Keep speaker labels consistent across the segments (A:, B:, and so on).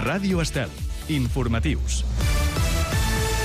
A: Ràdio Estel. Informatius.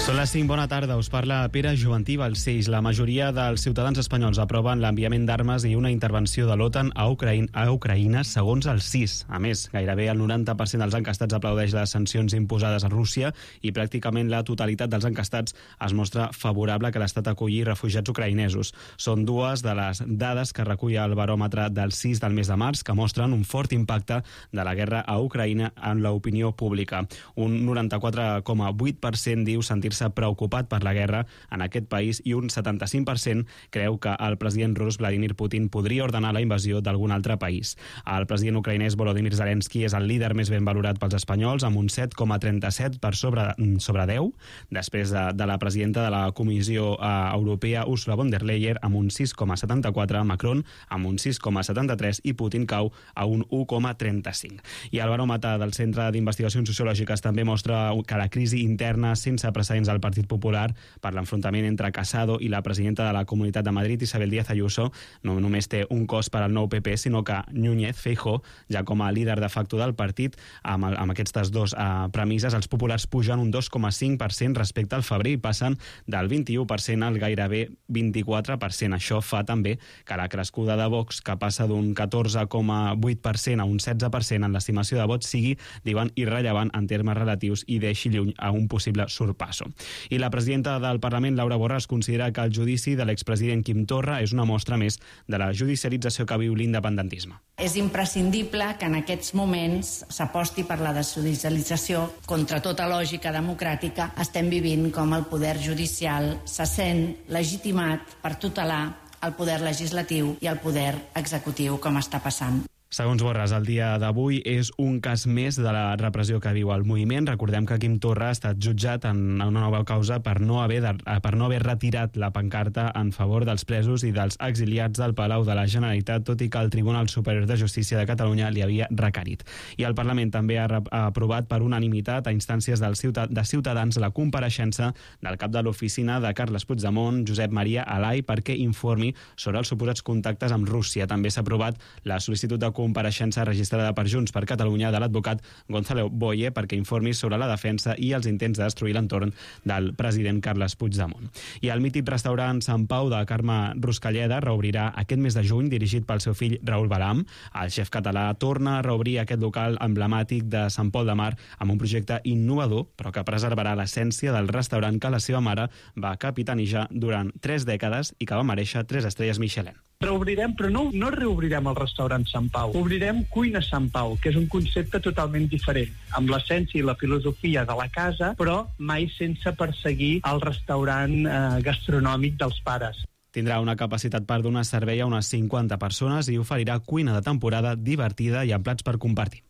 B: Són les 5, bona tarda, us parla Pere Joventí Balcells. La majoria dels ciutadans espanyols aproven l'enviament d'armes i una intervenció de l'OTAN a Ucraïna segons el CIS. A més, gairebé el 90% dels enquestats aplaudeix les sancions imposades a Rússia i pràcticament la totalitat dels enquestats es mostra favorable que l'Estat acolli refugiats ucraïnesos. Són dues de les dades que recull el baròmetre del CIS del mes de març que mostren un fort impacte de la guerra a Ucraïna en l'opinió pública. Un 94,8% diu sentir-se preocupat per la guerra en aquest país i un 75% creu que el president rus Vladimir Putin podria ordenar la invasió d'algun altre país. El president ucraïnès Volodymyr Zelensky és el líder més ben valorat pels espanyols amb un 7,37 per sobre 10, després de la presidenta de la Comissió Europea Ursula von der Leyen amb un 6,74, Macron amb un 6,73 i Putin cau a un 1,35. I el baròmetre del Centre d'Investigacions Sociològiques també mostra que la crisi interna sense precedents al Partit Popular per l'enfrontament entre Casado i la presidenta de la Comunitat de Madrid, Isabel Díaz Ayuso, no només té un cost per al nou PP, sinó que Núñez Feijóo, ja com a líder de facto del partit, amb aquestes dues premisses, els populars pugen un 2,5% respecte al febrer i passen del 21% al gairebé 24%. Això fa també que la crescuda de Vox, que passa d'un 14,8% a un 16% en l'estimació de vots, sigui, diuen, irrellevant en termes relatius i deixi lluny a un possible sorpasso. I la presidenta del Parlament, Laura Borràs, considera que el judici de l'expresident Quim Torra és una mostra més de la judicialització que viu l'independentisme.
C: És imprescindible que en aquests moments s'aposti per la desjudicialització. Contra tota lògica democràtica estem vivint com el poder judicial se sent legitimat per tutelar el poder legislatiu i el poder executiu, com està passant.
B: Segons Borràs, el dia d'avui és un cas més de la repressió que viu el moviment. Recordem que Quim Torra ha estat jutjat en una nova causa per no haver retirat la pancarta en favor dels presos i dels exiliats del Palau de la Generalitat, tot i que el Tribunal Superior de Justícia de Catalunya li havia requerit. I el Parlament també ha aprovat per unanimitat a instàncies de Ciutadans la compareixença del cap de l'oficina de Carles Puigdemont, Josep Maria Alay, perquè informi sobre els suposats contactes amb Rússia. També s'ha aprovat la sol·licitud de compareixença registrada per Junts per Catalunya de l'advocat Gonzalo Boye perquè informi sobre la defensa i els intents de destruir l'entorn del president Carles Puigdemont. I el mític restaurant Sant Pau de Carme Ruscalleda reobrirà aquest mes de juny, dirigit pel seu fill Raül Balam. El xef català torna a reobrir aquest local emblemàtic de Sant Pol de Mar amb un projecte innovador, però que preservarà l'essència del restaurant que la seva mare va capitanejar durant 3 dècades i que va merèixer 3 estrelles Michelin.
D: Reobrirem, però no reobrirem el restaurant Sant Pau. Obrirem Cuina Sant Pau, que és un concepte totalment diferent, amb l'essència i la filosofia de la casa, però mai sense perseguir el restaurant gastronòmic dels pares.
B: Tindrà una capacitat per donar servei a unes 50 persones i oferirà cuina de temporada divertida i amb plats per compartir.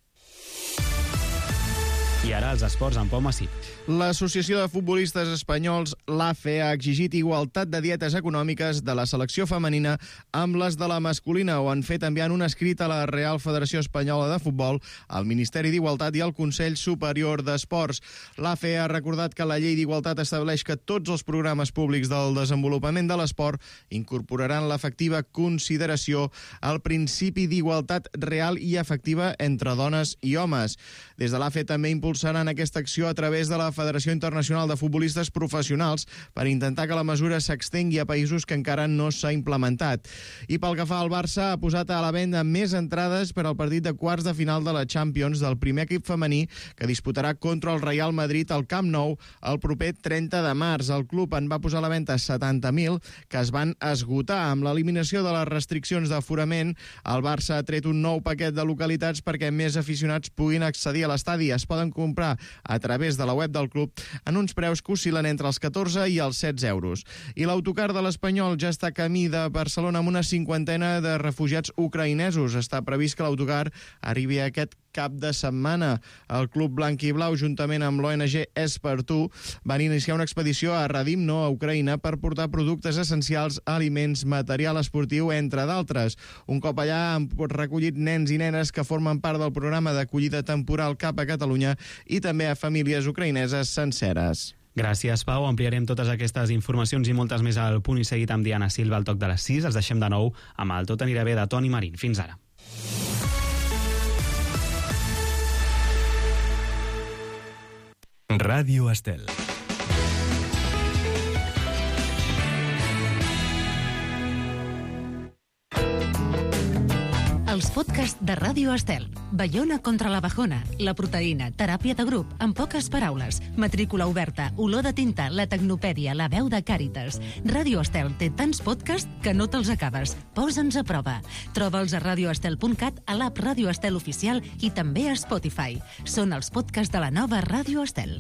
B: I ara els esports amb Pau Massip.
E: L'Associació de Futbolistes Espanyols, l'AFE, ha exigit igualtat de dietes econòmiques de la selecció femenina amb les de la masculina. Ho han fet enviant un escrit a la Real Federació Espanyola de Futbol, al Ministeri d'Igualtat i al Consell Superior d'Esports. L'AFE ha recordat que la llei d'igualtat estableix que tots els programes públics del desenvolupament de l'esport incorporaran l'efectiva consideració al principi d'igualtat real i efectiva entre dones i homes. Des de l'AFE també impulsaran aquesta acció a través de la Federació Internacional de Futbolistes Professionals per intentar que la mesura s'extengui a països que encara no s'ha implementat. I pel que fa al Barça, ha posat a la venda més entrades per al partit de quarts de final de la Champions del primer equip femení que disputarà contra el Real Madrid al Camp Nou el proper 30 de març. El club en va posar a la venda 70.000 que es van esgotar. Amb l'eliminació de les restriccions d'aforament, el Barça ha tret un nou paquet de localitats perquè més aficionats puguin accedir a l'estadi. Es poden comprar a través de la web del club en uns preus que oscil·len entre els 14 i els 16 euros. I l'autocar de l'Espanyol ja està camí de Barcelona amb una 50ena de refugiats ucraïnesos. Està previst que l'autocar arribi aquest cap de setmana. El Club Blanc i Blau, juntament amb l'ONG És per Tu, van iniciar una expedició a Radimno, a Ucraïna, per portar productes essencials, aliments, material esportiu, entre d'altres. Un cop allà han recollit nens i nenes que formen part del programa d'acollida temporal cap a Catalunya i també a famílies ucraïneses senceres.
B: Gràcies, Pau. Ampliarem totes aquestes informacions i moltes més al Punt i Seguit amb Diana Silva al toc de les 6. Els deixem de nou amb el Tot anirà bé de Toni Marín. Fins ara.
A: Ràdio Estel.
F: Els podcasts de Ràdio Estel. Baiona contra la bajona, la proteïna, teràpia de grup, en poques paraules, matrícula oberta, olor de tinta, la tecnopèdia, la veu de Càritas. Ràdio Estel té tants podcasts que no te'ls acabes. Posa'ns a prova. Troba'ls a radioestel.cat, a l'app Ràdio Estel oficial i també a Spotify. Són els podcasts de la nova Ràdio Estel.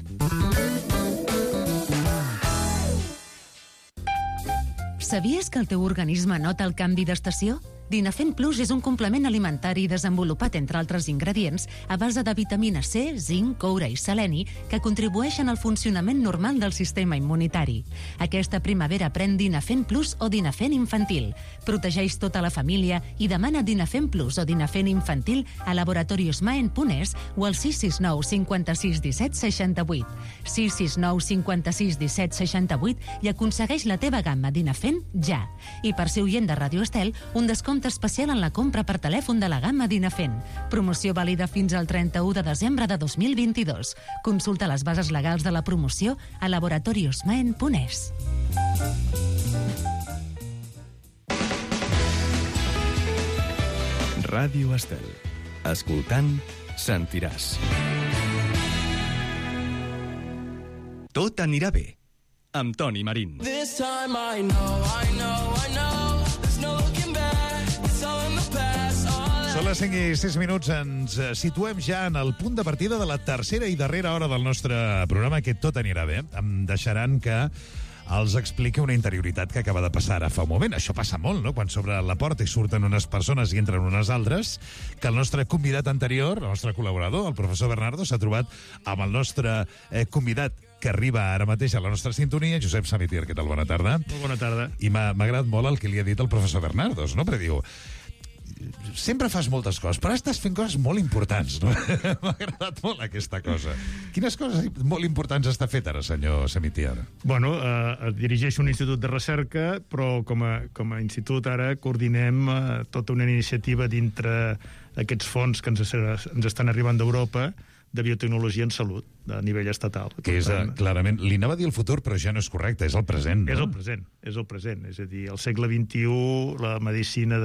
F: Sabies que el teu organisme nota el canvi d'estació? Dinafent Plus és un complement alimentari desenvolupat, entre altres ingredients, a base de vitamina C, zinc, coure i seleni, que contribueixen al funcionament normal del sistema immunitari. Aquesta primavera pren Dinafent Plus o Dinafent Infantil. Protegeix tota la família i demana Dinafent Plus o Dinafent Infantil a Laboratorios Maen Punès o al 669 56 17 68. 669 56 17 68 i aconsegueix la teva gamma Dinafent ja. I per ser oient de Ràdio Estel, un descompte especial en la compra per telèfon de la gamma Dinafent. Promoció vàlida fins al 31 de desembre de 2022. Consulta les bases legals de la promoció a Laboratorios Maen Punès.
A: Ràdio Estel. Escoltant, sentiràs. Tot anirà bé. Amb Toni Marín.
G: This time I know there's no looking back, it's all in the past.
H: Són les 5 i 6 minuts, ens situem ja en el punt de partida de la tercera i darrera hora del nostre programa, que tot anirà bé. Em deixaran que els expliqui una interioritat que acaba de passar ara fa un moment. Això passa molt, no?, quan s'obre la porta i surten unes persones i entren unes altres, que el nostre convidat anterior, el nostre col·laborador, el professor Bernardo, s'ha trobat amb el nostre convidat que arriba ara mateix a la nostra sintonia, Josep Samitier. Què tal? Bona tarda.
I: Molt bona tarda.
H: I m'ha agradat molt el que li ha dit el professor Bernardos, no? Perquè diu, sempre fas moltes coses, però estàs fent coses molt importants, no? M'ha agradat molt aquesta cosa. Quines coses molt importants està fet ara, senyor Samitier?
I: Bueno, dirigeixo un institut de recerca, però com a institut ara coordinem tota una iniciativa dintre d'aquests fons que ens estan arribant d'Europa de biotecnologia en salut, a nivell estatal.
H: Que és, clarament, li anava a dir el futur, però ja no és correcte, és el present, no?
I: És el present. És a dir, al segle XXI, la medicina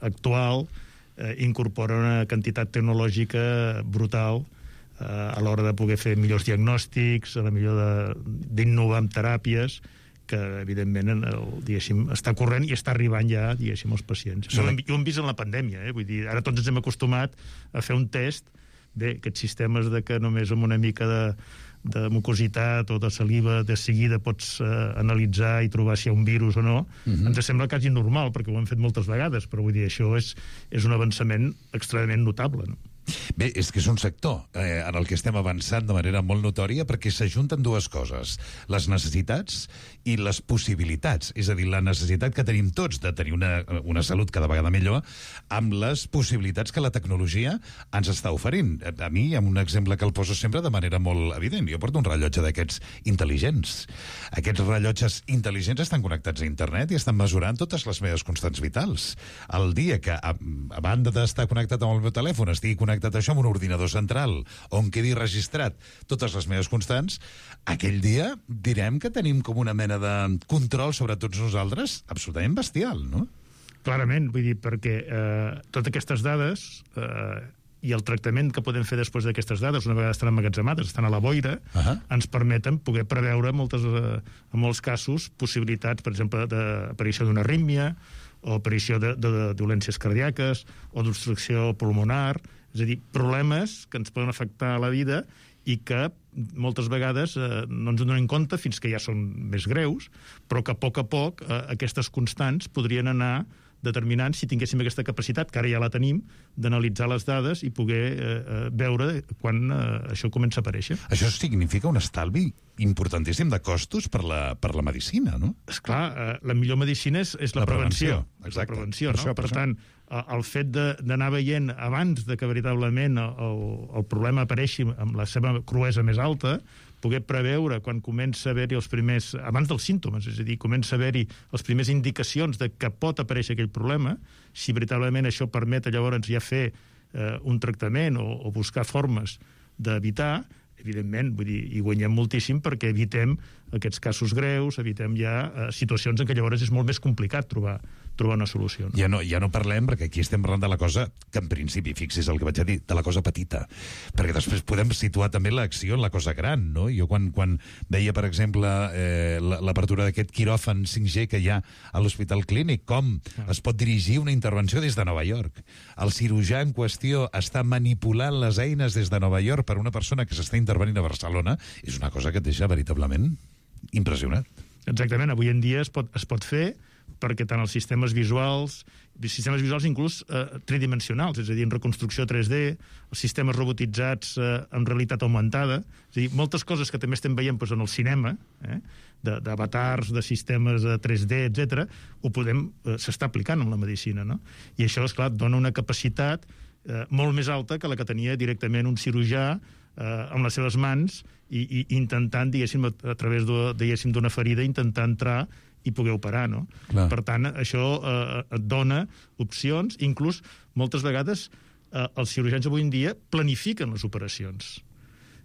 I: actual incorpora una quantitat tecnològica brutal a l'hora de poder fer millors diagnòstics, a la millor d'innovar amb teràpies, que, evidentment, està corrent i està arribant ja, diguéssim, als pacients. Ho hem vist en la pandèmia, vull dir, ara tots ens hem acostumat a fer un test. Bé, aquests sistemes de que només amb una mica de mucositat o de saliva de seguida pots analitzar i trobar si hi ha un virus o no, ens sembla quasi normal, perquè ho hem fet moltes vegades, però vull dir, això és un avançament extremadament notable, no?
H: Bé, és que és un sector en el que estem avançant de manera molt notòria, perquè s'ajunten dues coses: les necessitats i les possibilitats. És a dir, la necessitat que tenim tots de tenir una salut cada vegada millor, amb les possibilitats que la tecnologia ens està oferint. A mi hi ha un exemple que el poso sempre de manera molt evident. Jo porto un rellotge d'aquests intel·ligents. Aquests rellotges intel·ligents estan connectats a internet i estan mesurant totes les meves constants vitals. El dia que, a banda d'estar connectat amb el meu telèfon, estigui connectat això amb un ordinador central on quedi registrat totes les meves constants, aquell dia direm que tenim com una mena de control sobre tots nosaltres absolutament bestial, no?
I: Clarament, vull dir, perquè totes aquestes dades i el tractament que podem fer després d'aquestes dades, una vegada estan emmagatzemades, estan a la boira, ens permeten poder preveure en molts casos possibilitats, per exemple, d'aparició d'una arrítmia o aparició de dolències cardíaques o d'obstrucció pulmonar, és a dir, problemes que ens poden afectar a la vida i que moltes vegades no ens en donem compte fins que ja són més greus, però que a poc aquestes constants podrien anar determinant, si tinguéssim aquesta capacitat, que ara ja la tenim, d'analitzar les dades i poder veure quan això comença a aparèixer.
H: Això significa un estalvi importantíssim de costos per la medicina, no?
I: Esclar, la millor medicina és la prevenció.
H: Exacte.
I: La prevenció, no? Per tant, el fet d'anar veient abans de que veritablement el problema apareixi amb la seva cruesa més alta, poder preveure quan comença a haver-hi els primers, abans dels símptomes, és a dir, comença a haver-hi les primeres indicacions de que pot aparèixer aquell problema, si veritablement això permet llavors ja fer un tractament o buscar formes d'evitar, evidentment, vull dir, hi guanyem moltíssim perquè evitem aquests casos greus, evitem ja situacions en què llavors és molt més complicat trobar una solució.
H: Ja no parlem, perquè aquí estem parlant de la cosa que en principi, fixi's el que vaig a dir, de la cosa petita, perquè després podem situar també l'acció en la cosa gran, no? Jo quan veia, per exemple, l'apertura d'aquest quiròfan 5G que hi ha a l'Hospital Clínic, com es pot dirigir una intervenció des de Nova York. El cirurgià en qüestió està manipulant les eines des de Nova York per una persona que s'està intervenint a Barcelona, és una cosa que et deixa veritablement impressionat.
I: Exactament, avui en dia es pot fer perquè tant els sistemes visuals inclús tridimensionals, és a dir, en reconstrucció 3D, els sistemes robotitzats en realitat augmentada, és a dir, moltes coses que també estem veient en el cinema, d'avatars, de sistemes 3D, etc., s'està aplicant en la medicina, no? I això, esclar, dona una capacitat molt més alta que la que tenia directament un cirurgià amb les seves mans i intentant, diguéssim, a través d'una ferida, intentar entrar i poder operar, no?
H: Clar.
I: Per tant, això et dona opcions, inclús moltes vegades els cirurgians avui en dia planifiquen les operacions.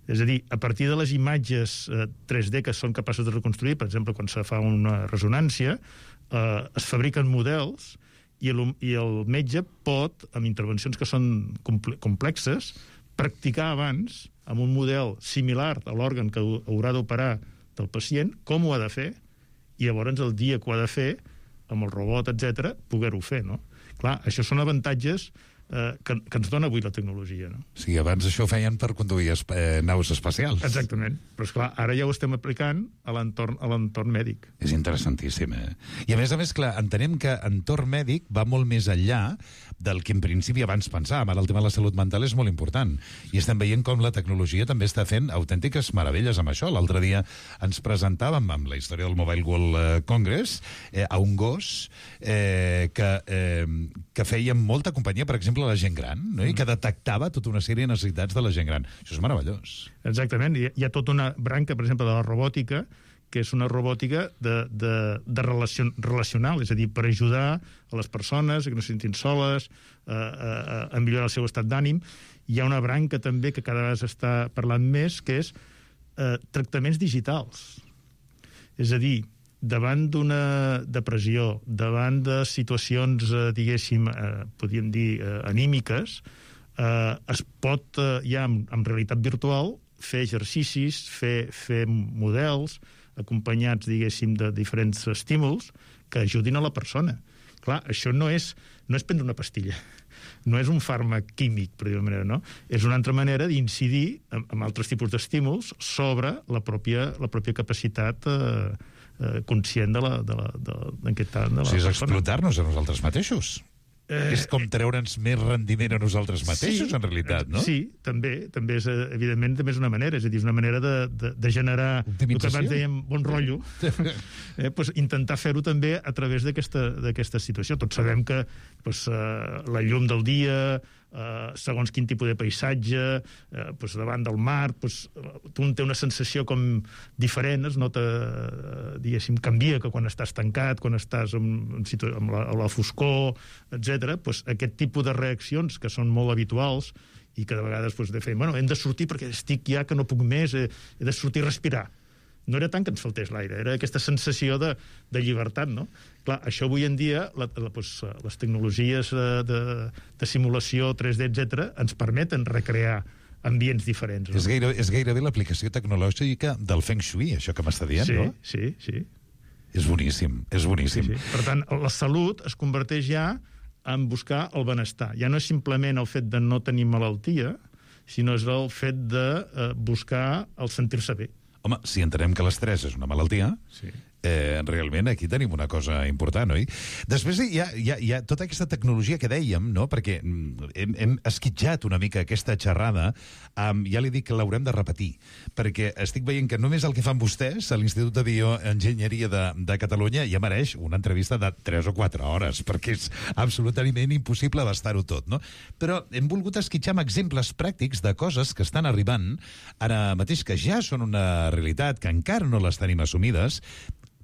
I: És a dir, a partir de les imatges 3D que són capaços de reconstruir, per exemple, quan se fa una ressonància, es fabriquen models i el metge pot, amb intervencions que són complexes, practicar abans, amb un model similar a l'òrgan que haurà d'operar del pacient, com ho ha de fer, i llavors el dia que ho ha de fer, amb el robot, etc., poder-ho fer, no? Clar, això són avantatges que ens dona avui la tecnologia, no?
H: Sí, abans això ho feien per conduir naus espacials.
I: Exactament. Però, esclar, ara ja ho estem aplicant a l'entorn mèdic.
H: És interessantíssim, I a més, clar, entenem que entorn mèdic va molt més enllà del que en principi abans pensàvem. Ara el tema de la salut mental és molt important. I estem veient com la tecnologia també està fent autèntiques meravelles amb això. L'altre dia ens presentàvem amb la història del Mobile World Congress a un gos que feia molta companyia, per exemple, a la gent gran, no? I que detectava tota una sèrie de necessitats de la gent gran. Això és meravellós.
I: Exactament. Hi ha tota una branca, per exemple, de la robòtica, que és una robòtica relacional, és a dir, per ajudar a les persones que no se sentin soles, a millorar el seu estat d'ànim. Hi ha una branca també que cada vegada s'està parlant més, que és tractaments digitals. És a dir, davant d'una depressió, davant de situacions, diguéssim, podríem dir, anímiques, es pot ja en realitat virtual fer exercicis, fer models acompanyats, diguéssim, de diferents estímuls que ajudin a la persona. Clar, això no és prendre una pastilla, no és un fàrmac químic, per dir-ho manera, no? És una altra manera d'incidir amb altres tipus d'estímuls sobre la pròpia capacitat conscient és
H: explotar-nos a nosaltres mateixos. És com treure'ns més rendiment a nosaltres mateixos, en realitat, no?
I: Sí, també és, evidentment, també és una manera, és a dir, és una manera de generar el que abans dèiem bon rotllo, intentar fer-ho també a través d'aquesta situació. Tots sabem que la llum del dia, segons quin tipus de paisatge, davant del mar, tu té una sensació com diferent, es nota, diguéssim, canvia que quan estàs tancat, quan estàs amb la foscor, etc. Aquest tipus de reaccions que són molt habituals i que de vegades hem de sortir perquè estic ja que no puc més, he de sortir a respirar. No era tant que ens faltés l'aire, era aquesta sensació de llibertat, no? Clar, això avui en dia, les tecnologies de simulació 3D, etc., ens permeten recrear ambients diferents. No?
H: És gairebé l'aplicació tecnològica del Feng Shui, això que m'està dient, no?
I: Sí.
H: És boníssim, és boníssim.
I: Sí. Per tant, la salut es converteix ja en buscar el benestar. Ja no és simplement el fet de no tenir malaltia, sinó és el fet de buscar el sentir-se bé.
H: Home, si entenem que l'estrès és una malaltia, sí. Realment aquí tenim una cosa important, oi? Després hi ha tota aquesta tecnologia que dèiem, no? Perquè hem esquitjat una mica aquesta xerrada, ja li dic que l'haurem de repetir, perquè estic veient que només el que fan vostès a l'Institut de Bioenginyeria de Catalunya ja mereix una entrevista de 3 o 4 hores, perquè és absolutament impossible abastar-ho tot, no? Però hem volgut esquitxar amb exemples pràctics de coses que estan arribant ara mateix, que ja són una realitat, que encara no les tenim assumides,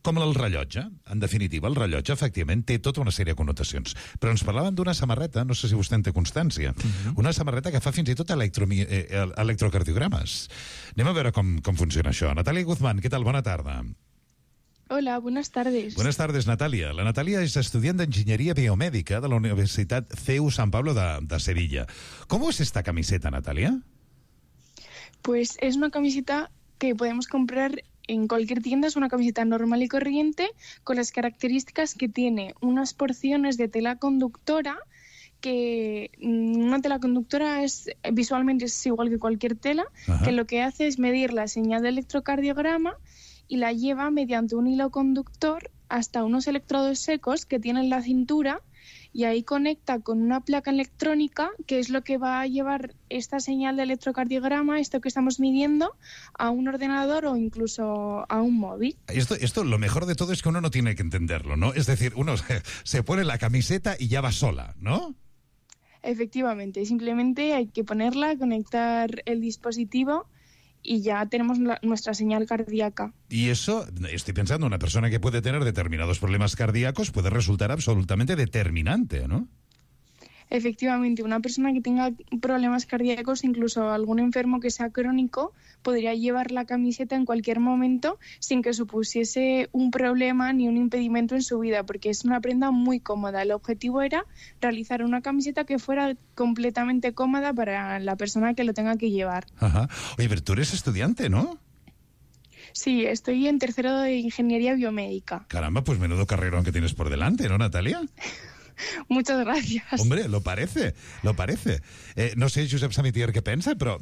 H: Com el rellotge. En definitiva, el rellotge, efectivament, té tota una sèrie de connotacions. Però ens parlaven d'una samarreta, no sé si vostè en té constància, una samarreta que fa fins i tot electrocardiogrames. Anem a veure com funciona això. Natàlia Guzmán, què tal? Bona tarda.
J: Hola, buenas tardes.
H: Buenas tardes, Natalia. La Natalia es estudiante de Ingeniería Biomédica de la Universidad CEU San Pablo de Sevilla. ¿Cómo es esta camiseta, Natalia?
J: Pues es una camiseta que podemos comprar en cualquier tienda. Es una camiseta normal y corriente con las características que tiene unas porciones de tela conductora, que una tela conductora visualmente es igual que cualquier tela, que lo que hace es medir la señal de electrocardiograma y la lleva mediante un hilo conductor hasta unos electrodos secos que tiene en la cintura, y ahí conecta con una placa electrónica que es lo que va a llevar esta señal de electrocardiograma, esto que estamos midiendo, a un ordenador o incluso a un móvil.
H: Esto lo mejor de todo es que uno no tiene que entenderlo, ¿no? Es decir, uno se pone la camiseta y ya va sola, ¿no?
J: Efectivamente, simplemente hay que ponerla, conectar el dispositivo y ya tenemos nuestra señal cardíaca.
H: Y eso, estoy pensando, una persona que puede tener determinados problemas cardíacos puede resultar absolutamente determinante, ¿no?
J: Efectivamente, una persona que tenga problemas cardíacos, incluso algún enfermo que sea crónico, podría llevar la camiseta en cualquier momento sin que supusiese un problema ni un impedimento en su vida, porque es una prenda muy cómoda. El objetivo era realizar una camiseta que fuera completamente cómoda para la persona que lo tenga que llevar.
H: Ajá. Oye, pero tú eres estudiante, ¿no?
J: Sí, estoy en tercero de Ingeniería Biomédica.
H: Caramba, pues menudo carrerón que tienes por delante, ¿no, Natalia?
J: Muchas gracias.
H: Hombre, lo parece. No sé, Josep Samitier, què pensa, però,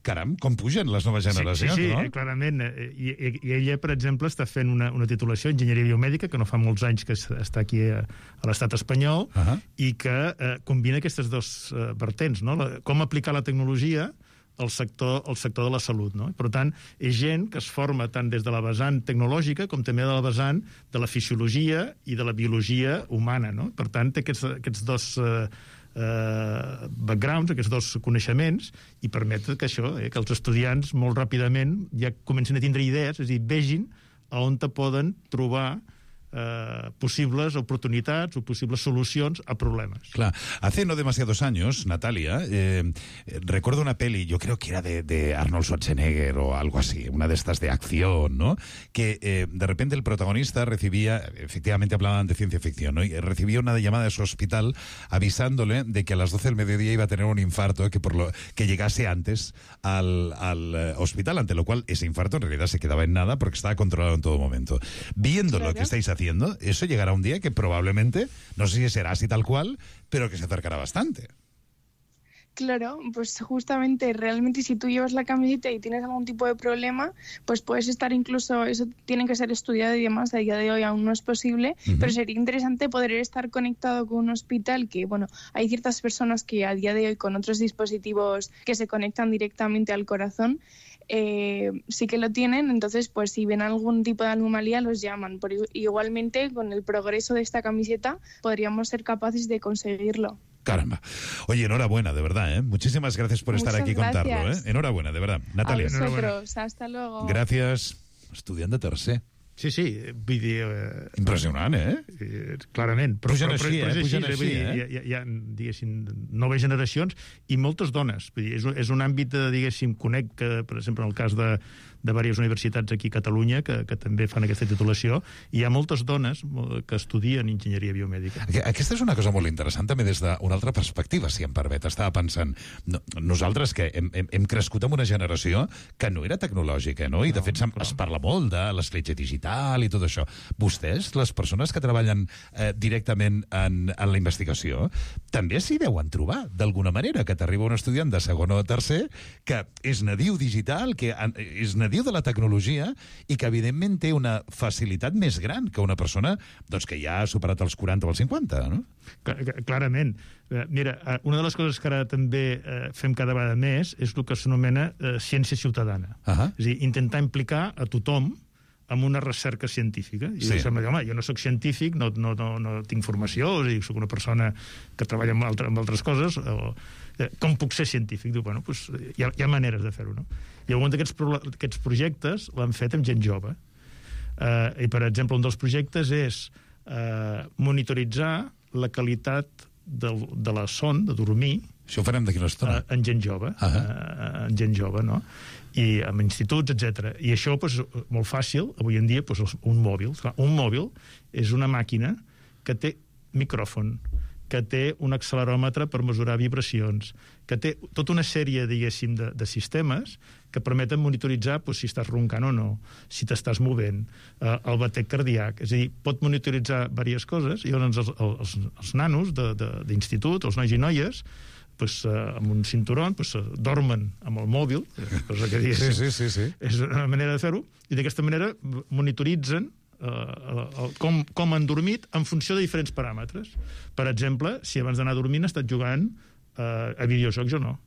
H: caram, com pugen les noves generacions,
I: sí,
H: no?
I: Clarament. I ella, per exemple, està fent una titulació en Enginyeria Biomèdica, que no fa molts anys que està aquí a l'estat espanyol, i que combina aquestes dos vertents, no? Com aplicar la tecnologia al sector de la salut, no? Per tant, és gent que es forma tant des de la vessant tecnològica com també de la vessant de la fisiologia i de la biologia humana, no? Per tant, té aquests dos backgrounds, aquests dos coneixements, i permet que això, que els estudiants molt ràpidament ja comencen a tindre idees, és a dir, vegin on te poden trobar posibles oportunidades o posibles solucions a problemas.
H: Claro. Hace no demasiados años, Natalia, recuerdo una peli, yo creo que era de Arnold Schwarzenegger o algo así, una de estas de acción, ¿no? Que de repente el protagonista recibía, efectivamente hablaban de ciencia ficción, ¿no? Y recibía una llamada de su hospital avisándole de que a las 12 del mediodía iba a tener un infarto, que llegase antes al hospital, ante lo cual ese infarto en realidad se quedaba en nada porque estaba controlado en todo momento. Viendo lo que estáis haciendo, eso llegará un día que probablemente, no sé si será así tal cual, pero que se acercará bastante.
J: Claro, pues justamente, realmente si tú llevas la camiseta y tienes algún tipo de problema, pues puedes estar incluso, eso tiene que ser estudiado y demás, a día de hoy aún no es posible, pero sería interesante poder estar conectado con un hospital que, bueno, hay ciertas personas que a día de hoy con otros dispositivos que se conectan directamente al corazón, sí que lo tienen, entonces pues si ven algún tipo de anomalía los llaman. Igualmente con el progreso de esta camiseta podríamos ser capaces de conseguirlo.
H: Caramba. Oye, enhorabuena, de verdad, ¿eh? Muchísimas gracias por estar aquí y contarlo, ¿eh? Enhorabuena, de verdad. Natalia.
J: A vosotros, hasta luego.
H: Gracias. Estudiant de tercer.
I: Sí, vull dir...
H: Impressionant, eh?
I: Clarament.
H: Pugen així,
I: Hi ha, diguéssim, noves generacions i moltes dones. Vull dir, és un àmbit, diguéssim, conec que, per exemple, en el cas de diverses universitats aquí a Catalunya que també fan aquesta titulació, i hi ha moltes dones que estudien enginyeria biomèdica.
H: Aquesta és una cosa molt interessant també des d'una altra perspectiva, si em permet. Estava pensant, nosaltres que hem crescut amb una generació que no era tecnològica, no? I de fet es parla molt de l'escletxa digital i tot això. Vostès, les persones que treballen directament en la investigació, també s'hi deuen trobar, d'alguna manera, que t'arriba un estudiant de segon o tercer que és nadiu digital, que és nadiu de la tecnologia i que evidentment té una facilitat més gran que una persona doncs, que ja ha superat els 40 o els 50, no?
I: Clarament. Mira, una de les coses que ara també fem cada vegada més és el que s'anomena ciència ciutadana. És a dir, intentar implicar a tothom amb una recerca científica. I sembla que, home, jo no soc científic, no tinc formació, o sigui, soc una persona que treballa amb altres coses, com puc ser científic? Diu, bueno, doncs hi ha maneres de fer-ho, no? I algun d'aquests projectes l'han fet amb gent jove. I, per exemple, un dels projectes és monitoritzar la qualitat de la son, de dormir,
H: això ho farem d'aquí una estona.
I: En gent jove, en gent jove, no? I en instituts, etc. I això, doncs, molt fàcil, avui en dia, doncs, un mòbil. Un mòbil és una màquina que té micròfon, que té un acceleròmetre per mesurar vibracions, que té tota una sèrie, diguéssim, de sistemes que permeten monitoritzar doncs, si estàs roncant o no, si t'estàs movent, el batec cardíac. És a dir, pot monitoritzar diverses coses, i llavors els nanos d'institut, els nois i noies, pues, amb un cinturón, pues, dormen amb el mòbil, cosa que
H: sí.
I: És una manera de fer-ho, i d'aquesta manera monitoritzen com han dormit en funció de diferents paràmetres. Per exemple, si abans d'anar a dormir han estat jugant a videojocs o no,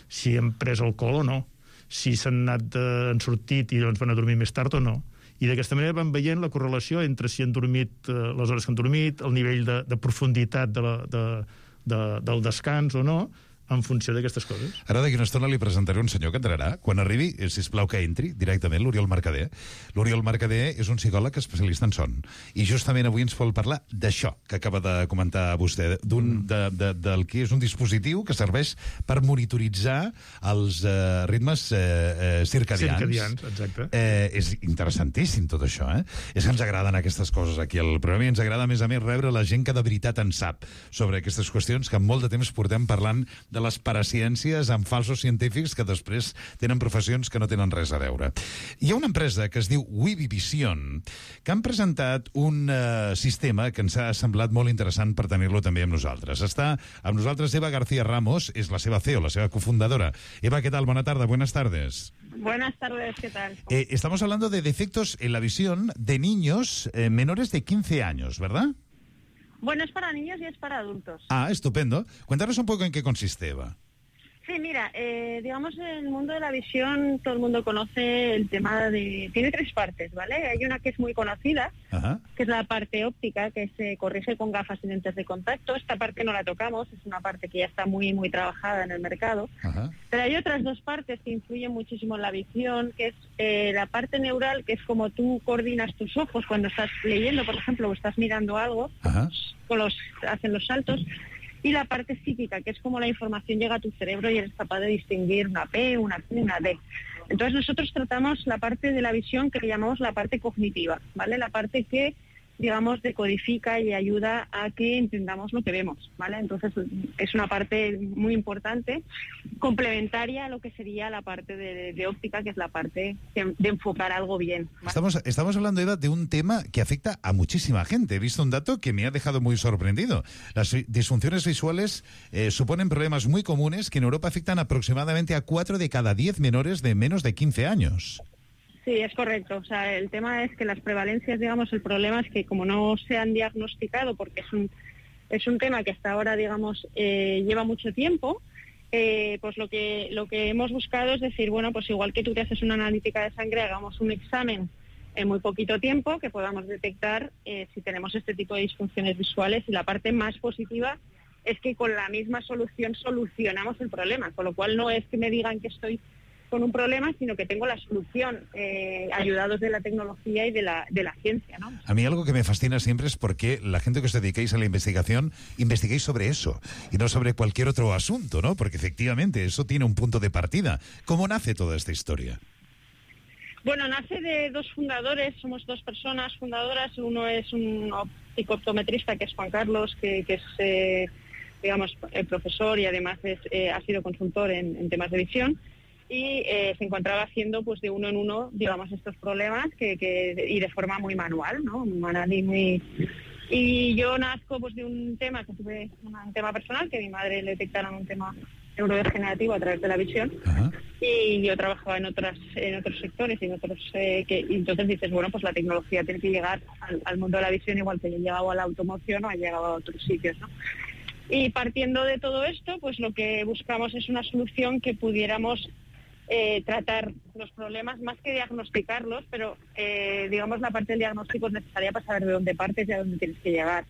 I: si han pres alcohol o no, si han sortit i llavors van a dormir més tard o no. I d'aquesta manera van veient la correlació entre si han dormit les hores que han dormit, el nivell de profunditat del descans o no, en funció d'aquestes coses.
H: Ara d'aquí una estona li presentaré un senyor que entrarà. Quan arribi, sisplau que entri directament, l'Oriol Mercader. L'Oriol Mercader és un psicòleg especialista en son. I justament avui ens vol parlar d'això que acaba de comentar vostè, del que és un dispositiu que serveix per monitoritzar els ritmes circadians.
I: Circadians, exacte.
H: És interessantíssim tot això, eh? És que ens agraden aquestes coses aquí al programa i ens agrada, a més, rebre la gent que de veritat en sap sobre aquestes qüestions que en molt de temps portem parlant de les paraciències amb falsos científics que després tenen professions que no tenen res a veure. Hi ha una empresa que es diu Wibivision, que han presentat un sistema que ens ha semblat molt interessant per tenir-lo també amb nosaltres. Està amb nosaltres Eva García Ramos, és la seva CEO, la seva cofundadora. Eva, ¿qué tal? Buenas tardes, buenas tardes.
K: Buenas tardes, ¿qué tal?
H: Estamos hablando de defectos en la visión de niños menores de 15 años, ¿verdad?
K: Bueno, es para niños y es para adultos.
H: Ah, estupendo. Cuéntanos un poco en qué consiste, Eva.
K: Sí, mira, digamos, en el mundo de la visión todo el mundo conoce el tema de... Tiene tres partes, ¿vale? Hay una que es muy conocida, que es la parte óptica, que se corrige con gafas y lentes de contacto. Esta parte no la tocamos, es una parte que ya está muy, muy trabajada en el mercado. Pero hay otras dos partes que influyen muchísimo en la visión, que es la parte neural, que es como tú coordinas tus ojos cuando estás leyendo, por ejemplo, o estás mirando algo, hacen los saltos. Y la parte psíquica, que es como la información llega a tu cerebro y eres capaz de distinguir una P, una Q, una D. Entonces nosotros tratamos la parte de la visión que llamamos la parte cognitiva, ¿vale? La parte que, digamos, decodifica y ayuda a que entendamos lo que vemos, ¿vale? Entonces es una parte muy importante, complementaria a lo que sería la parte de óptica, que es la parte de enfocar algo bien, ¿vale?
H: Estamos hablando, Eva, de un tema que afecta a muchísima gente. He visto un dato que me ha dejado muy sorprendido. Las disfunciones visuales suponen problemas muy comunes que en Europa afectan aproximadamente a 4 de cada 10 menores de menos de 15 años.
K: Sí, es correcto. O sea, el tema es que las prevalencias, digamos, el problema es que como no se han diagnosticado, porque es un tema que hasta ahora, digamos, lleva mucho tiempo, pues lo que hemos buscado es decir, bueno, pues igual que tú te haces una analítica de sangre, hagamos un examen en muy poquito tiempo que podamos detectar si tenemos este tipo de disfunciones visuales, y la parte más positiva es que con la misma solución solucionamos el problema, con lo cual no es que me digan que estoy con un problema, sino que tengo la solución, ayudados de la tecnología y de la ciencia, ¿no?
H: A mí algo que me fascina siempre es porque la gente que os dedicáis a la investigación, investiguéis sobre eso y no sobre cualquier otro asunto, ¿no? Porque efectivamente eso tiene un punto de partida. ¿Cómo nace toda esta historia?
K: Bueno, nace de dos fundadores, somos dos personas fundadoras. Uno es un psicooptometrista, que es Juan Carlos, que es, digamos, profesor y además ha sido consultor en temas de visión. Y se encontraba haciendo pues de uno en uno, digamos, estos problemas y de forma muy manual, ¿no? Y yo nazco pues de un tema que tuve, un tema personal, que a mi madre le detectaron un tema neurodegenerativo a través de la visión. Y yo trabajaba en otros sectores y y entonces dices, bueno, pues la tecnología tiene que llegar al mundo de la visión, igual que yo he llegado a la automoción o ha llegado a otros sitios, ¿no? Y partiendo de todo esto, pues lo que buscamos es una solución que pudiéramos tratar los problemas más que diagnosticarlos, pero digamos la parte del diagnóstico es necesaria para saber de dónde partes y a dónde tienes que llegar.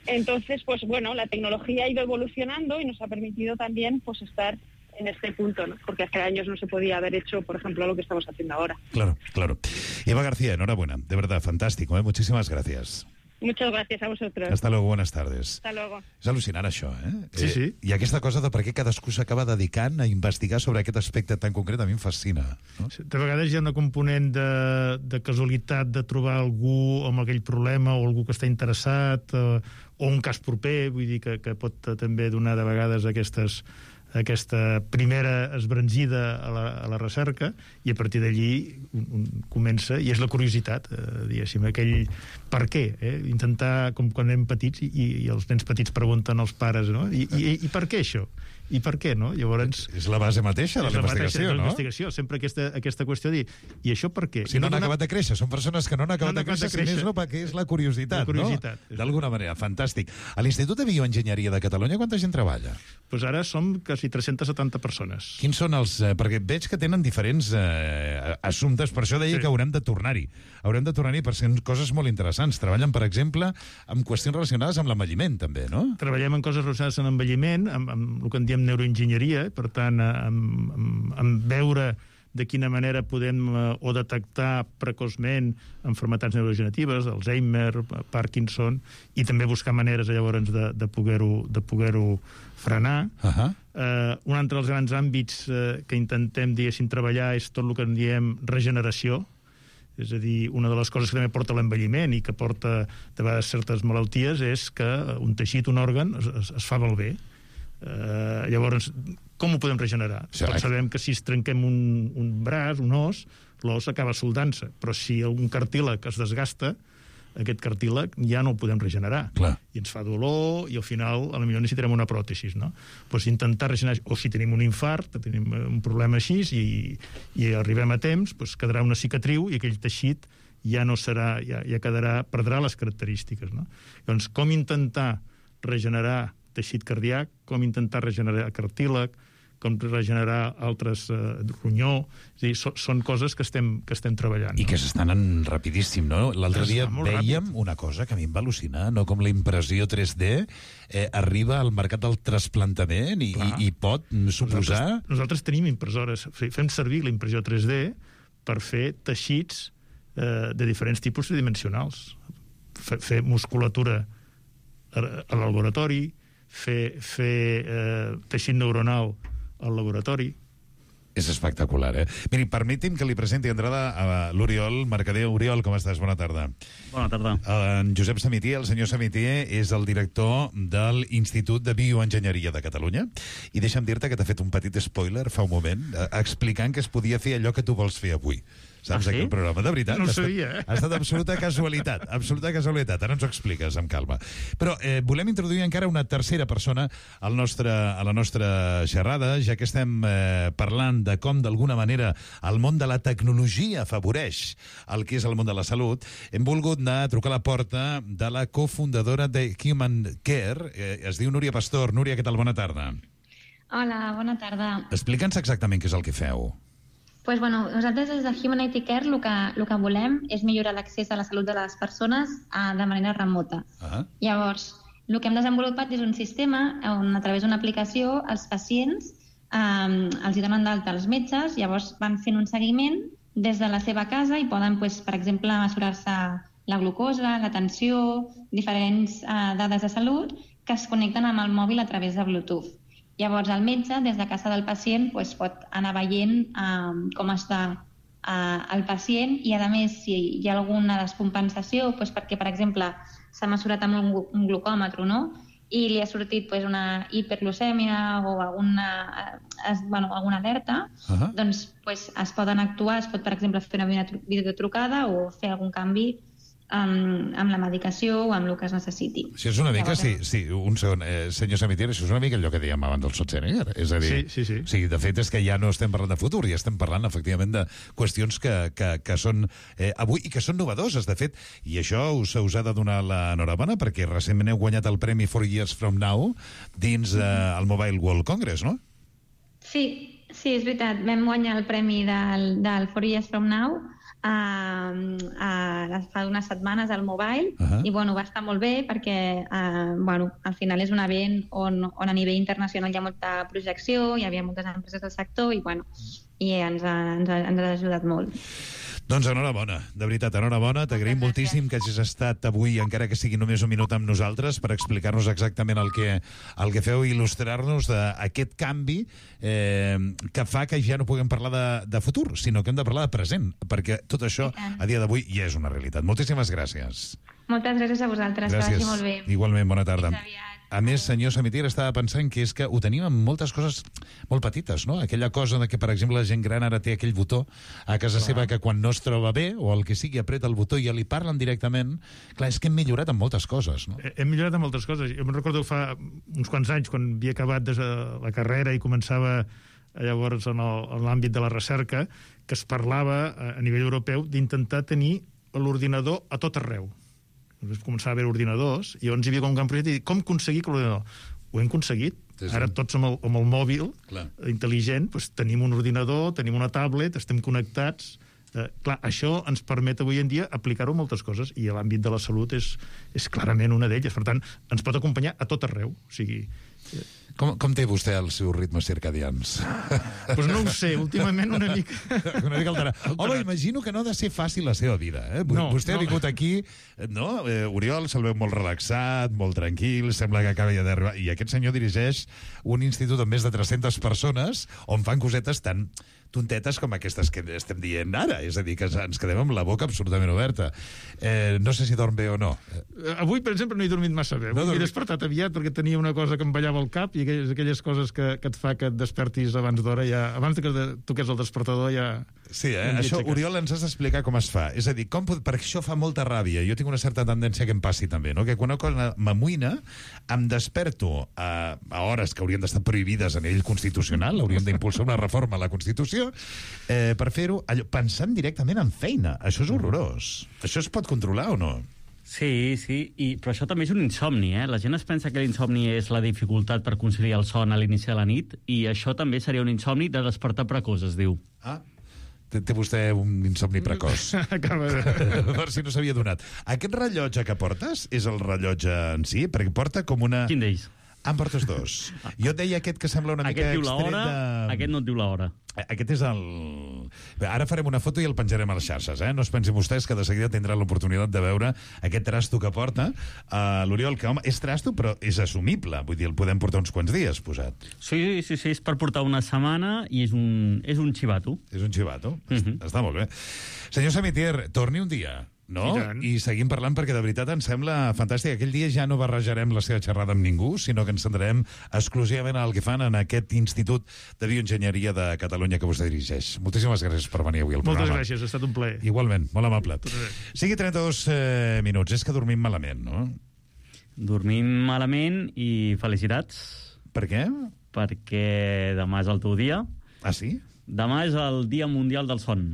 K: Entonces, pues bueno, la tecnología ha ido evolucionando y nos ha permitido también pues estar en este punto, ¿no? Porque hace años no se podía haber hecho, por ejemplo, lo que estamos haciendo ahora.
H: Claro, claro. Eva García, enhorabuena, de verdad, fantástico, muchísimas gracias.
K: Muchas gracias a vosotros.
H: Hasta luego, buenas tardes.
K: Hasta luego.
H: És al·lucinant, això,
I: Sí, sí.
H: I aquesta cosa de per què cadascú s'acaba dedicant a investigar sobre aquest aspecte tan concret a mi em fascina. No?
I: De vegades hi ha una component de casualitat de trobar algú amb aquell problema o algú que està interessat o un cas proper, vull dir que pot també donar de vegades aquesta primera esbranzida a la recerca, i a partir d'allí comença, i és la curiositat, diguéssim, aquell per què, intentar, com quan anem petits i els nens petits pregunten als pares, no? I per què això? I per què, no? Llavors...
H: És la base mateixa de la investigació, no?
I: Sempre aquesta qüestió de dir, i això per què?
H: Si no han acabat de créixer, són persones que no han acabat de créixer, si més no, perquè és la curiositat, no? D'alguna manera, fantàstic. A l'Institut de Bioenginyeria de Catalunya, quanta gent treballa?
I: Doncs ara som quasi 370 persones.
H: Quins són els... Perquè veig que tenen diferents assumptes, per això deia que haurem de tornar-hi. Haurem de tornar-hi per ser coses molt interessants. Treballen, per exemple, amb qüestions relacionades amb l'envelliment, també, no?
I: Treballem en coses relacionades amb l'envelliment, amb el que en diem neuroenginyeria, per tant, amb veure de quina manera podem o detectar precoçment malalties neurodegeneratives, Alzheimer, Parkinson, i també buscar maneres llavors de poder-ho frenar. Un altre dels grans àmbits que intentem, diguéssim, treballar és tot el que en diem regeneració, és a dir, una de les coses que també porta l'envelliment i que porta de vegades certes malalties és que un teixit, un òrgan, es fa malbé. Llavors, com ho podem regenerar? Tots sabem que si es trenquem un braç, un os, l'os acaba soldant-se, però si un cartílag es desgasta, aquest cartílag ja no el podem regenerar. I ens fa dolor i al final potser necessitarem una pròtesi, no? Doncs intentar regenerar, o si tenim un infart, tenim un problema així i arribem a temps, doncs quedarà una cicatriu i aquell teixit ja no serà, ja perdrà les característiques, no? Llavors, com intentar regenerar teixit cardíac, com intentar regenerar cartílag, com regenerar altres ronyó, és a dir, són coses que estem treballant.
H: I que s'estan anant rapidíssim, no? L'altre dia veiem una cosa que a mi em va al·lucinar, no? Com la impressió 3D arriba al mercat del trasplantament i pot suposar...
I: Nosaltres tenim impressores, fem servir la impressió 3D per fer teixits de diferents tipus tridimensionals. Fer musculatura al laboratori, fer teixit neuronal al laboratori.
H: És espectacular, Miri, permeti'm que li presenti d'entrada a l'Oriol Mercader. Oriol, com estàs? Bona tarda.
L: Bona tarda.
H: En Josep Samitier, el senyor Samitier, és el director de l'Institut de Bioenginyeria de Catalunya, i deixa'm dir-te que t'ha fet un petit spoiler fa un moment, explicant que es podia fer allò que tu vols fer avui. Saps, aquí el programa? De veritat.
I: No ho sabia,
H: Ha estat absoluta casualitat. Absoluta casualitat. Ara ens ho expliques, amb calma. Però volem introduir encara una tercera persona a la nostra xerrada, ja que estem parlant de com, d'alguna manera, el món de la tecnologia afavoreix el que és el món de la salut. Hem volgut anar a trucar a la porta de la cofundadora de Human Care. Es diu Núria Pastor. Núria, què tal? Bona tarda.
M: Hola, bona tarda.
H: Explica'ns exactament què és el que feu.
M: Pues bueno, nosaltres des de Humanity Care el que volem és millorar l'accés a la salut de les persones de manera remota. Llavors, el que hem desenvolupat és un sistema on a través d'una aplicació els pacients els hi donen d'alta als metges, llavors van fent un seguiment des de la seva casa i poden, per exemple, mesurar-se la glucosa, la tensió, diferents dades de salut que es connecten amb el mòbil a través de Bluetooth. Llavors, el metge, des de casa del pacient, pot anar veient com està el pacient i, a més, si hi ha alguna descompensació, perquè, per exemple, s'ha mesurat amb un glucòmetre, no?, i li ha sortit una hiperglucèmia o alguna alerta, doncs es poden actuar, es pot, per exemple, fer una videotrucada o fer algun canvi amb la medicació o amb el que es necessiti.
H: Si és una mica, un segon, senyor Samitier, això és una mica allò que dèiem abans del Schwarzenegger. És a dir, sí, de fet és que ja no estem parlant de futur, ja estem parlant, efectivament, de qüestions que són avui i que són novedoses, de fet, i això us ha de donar l'enhorabona perquè recentment heu guanyat el premi 4 Years From Now dins el Mobile World Congress, no?
M: Sí, és veritat. Vam guanyar el premi del 4 Years From Now fa unes setmanes al Mobile, i bueno, va estar molt bé perquè al final és un event on a nivell internacional hi ha molta projecció, hi havia moltes empreses del sector i ens ha ajudat molt.
H: Doncs enhorabona, de veritat, enhorabona. T'agraïm moltíssim que hagis estat avui, encara que sigui només un minut amb nosaltres, per explicar-nos exactament el que feu i il·lustrar-nos d'aquest canvi que fa que ja no puguem parlar de futur, sinó que hem de parlar de present, perquè tot això a dia d'avui ja és una realitat. Moltíssimes gràcies.
M: Moltes gràcies a vosaltres, que vagi molt bé.
H: Igualment, bona tarda. A més, senyor Samitier, estava pensant que és que ho tenim amb moltes coses molt petites, no? Aquella cosa de que, per exemple, la gent gran ara té aquell botó a casa seva que quan no es troba bé, o el que sigui, apreta el botó i ja li parlen directament. Clar, és que hem millorat en moltes coses, no?
I: Hem millorat en moltes coses. Jo me'n recordo fa uns quants anys, quan havia acabat la carrera i començava llavors en l'àmbit de la recerca, que es parlava a nivell europeu d'intentar tenir l'ordinador a tot arreu. Començava a haver ordinadors, i llavors hi havia com un gran projecte i dir, com aconseguir que l'ordinador... Ho hem aconseguit. Ara tots amb el mòbil intel·ligent tenim un ordinador, tenim una tablet, estem connectats. Clar, això ens permet avui en dia aplicar-ho a moltes coses, i l'àmbit de la salut és clarament una d'elles. Per tant, ens pot acompanyar a tot arreu. O sigui...
H: Com té vostè els seus ritmes circadians?
I: Doncs no ho sé, últimament una mica...
H: Una mica alterat. Home, imagino que no ha de ser fàcil la seva vida. Vostè ha vingut aquí, no? Oriol se'l veu molt relaxat, molt tranquil, sembla que acaba d'arribar. I aquest senyor dirigeix un institut amb més de 300 persones on fan cosetes tan tontetes com aquestes que estem dient ara. És a dir, que ens quedem amb la boca absolutament oberta. No sé si dorm bé o no.
I: Avui, per exemple, no he dormit massa bé. M'he despertat aviat perquè tenia una cosa que em ballava al cap, i aquelles coses que et fa que et despertis abans d'hora, abans que toqués el despertador ja...
H: Sí, això, Oriol, ens has d'explicar com es fa. És a dir, perquè això fa molta ràbia. Jo tinc una certa tendència que em passi també, no? Que quan una cosa m'amoïna, em desperto a hores que haurien d'estar prohibides a nivell constitucional, hauríem d'impulsar una reforma a la Constitució, per fer-ho pensant directament en feina. Això és horrorós. Això es pot controlar o no?
L: Sí, però això també és un insomni, eh? La gent es pensa que l'insomni és la dificultat per conciliar el son a l'inici de la nit, i això també seria un insomni de despertar precoç, es diu.
H: Té vostè un insomni precoç. Per si no s'havia donat. Aquest rellotge que portes és el rellotge en si? Perquè porta com una...
L: Quin d'ells?
H: En portes dos. Jo et deia aquest que sembla una mica extret de...
L: Aquest no et diu l'hora.
H: Aquest és el... Ara farem una foto i el penjarem a les xarxes, No es pensin vostès que de seguida tindran l'oportunitat de veure aquest trasto que porta l'Oriol, que, home, és trasto, però és assumible. Vull dir, el podem portar uns quants dies posat.
L: Sí, és per portar una setmana i és un xivato.
H: És un xivato. Està molt bé. Senyor Samitier, torni un dia, no? I seguim parlant, perquè de veritat ens sembla fantàstic. Aquell dia ja no barrejarem la seva xerrada amb ningú, sinó que ens centrarem exclusivament al que fan en aquest Institut de Bioenginyeria de Catalunya que vostè dirigeix. Moltíssimes gràcies per venir avui al programa.
I: Moltes gràcies, ha estat un plaer.
H: Igualment, molt amable. Sigui 32 minuts, és que dormim malament, no?
L: Dormim malament i felicitats.
H: Per què?
L: Perquè demà és el teu dia.
H: Ah, sí?
L: Demà és el Dia Mundial del Son.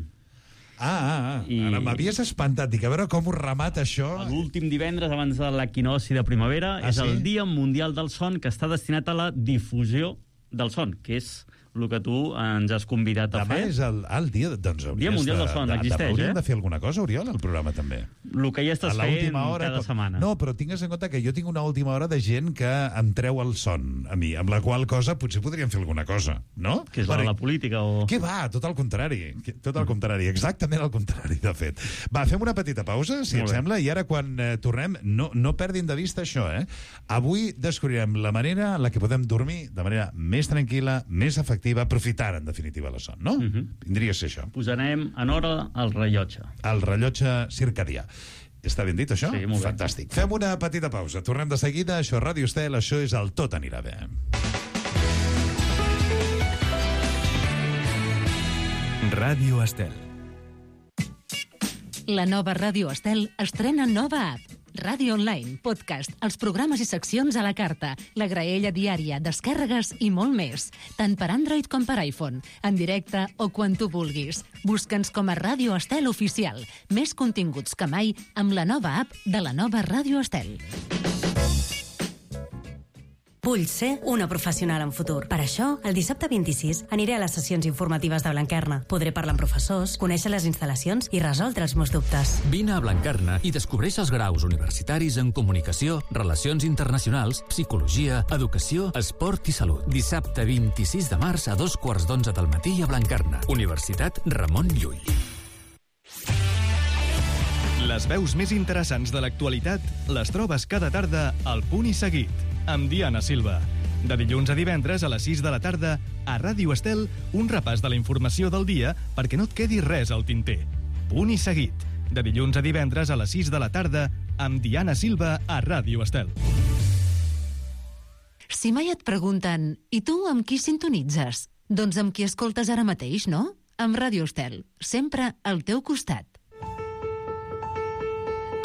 H: Ara m'havies espantat. Dic, a veure com ho remata això.
L: L'últim divendres abans de l'equinocci de primavera és el Dia Mundial del Son, que està destinat a la difusió del son, que és el que tu ens has convidat a fer.
H: Demà és el dia... Doncs
L: Dia Mundial del Son, existeix,
H: Hauríem de fer alguna cosa, Oriol, al programa, també.
L: El que ja estàs fent cada setmana.
H: No, però tingues en compte que jo tinc una última hora de gent que em treu el son a mi, amb la qual cosa potser podríem fer alguna cosa, no?
L: Que és la política o...
H: Què va? Tot al contrari. Tot al contrari, exactament al contrari, de fet. Va, fem una petita pausa, si et sembla, i ara quan tornem, no perdin de vista això, Avui descobrirem la manera en la que podem dormir de manera més tranquil·la, més efectiva, aprofitant, en definitiva, la son, no? Vindria a ser això.
L: Posarem en hora el rellotge.
H: El rellotge circadià. Està ben dit, això?
L: Sí, molt bé.
H: Fantàstic. Fem una petita pausa. Tornem de seguida. Això és Ràdio Estel, això és el Tot anirà bé.
A: Ràdio Estel.
F: La nova Ràdio Estel estrena nova app. Ràdio Online, podcast, els programes i seccions a la carta, la graella diària, descàrregues i molt més. Tant per Android com per iPhone, en directe o quan tu vulguis. Busca'ns com a Ràdio Estel Oficial. Més continguts que mai amb la nova app de la nova Ràdio Estel.
N: Vull ser una professional en futur. Per això, el dissabte 26 aniré a les sessions informatives de Blanquerna. Podré parlar amb professors, conèixer les instal·lacions i resoldre els meus dubtes.
O: Vine a Blanquerna i descobreix els graus universitaris en comunicació, relacions internacionals, psicologia, educació, esport i salut. Dissabte 26 de març a 2:15 del matí a Blanquerna. Universitat Ramon Llull.
A: Les veus més interessants de l'actualitat les trobes cada tarda al Punt i Seguit, amb Diana Silva. De dilluns a divendres a les 6 de la tarda, a Ràdio Estel, un repàs de la informació del dia perquè no et quedi res al tinter. Punt i Seguit, de dilluns a divendres a les 6 de la tarda, amb Diana Silva a Ràdio Estel.
F: Si mai et pregunten, i tu amb qui sintonitzes? Doncs amb qui escoltes ara mateix, no? Amb Ràdio Estel, sempre al teu costat.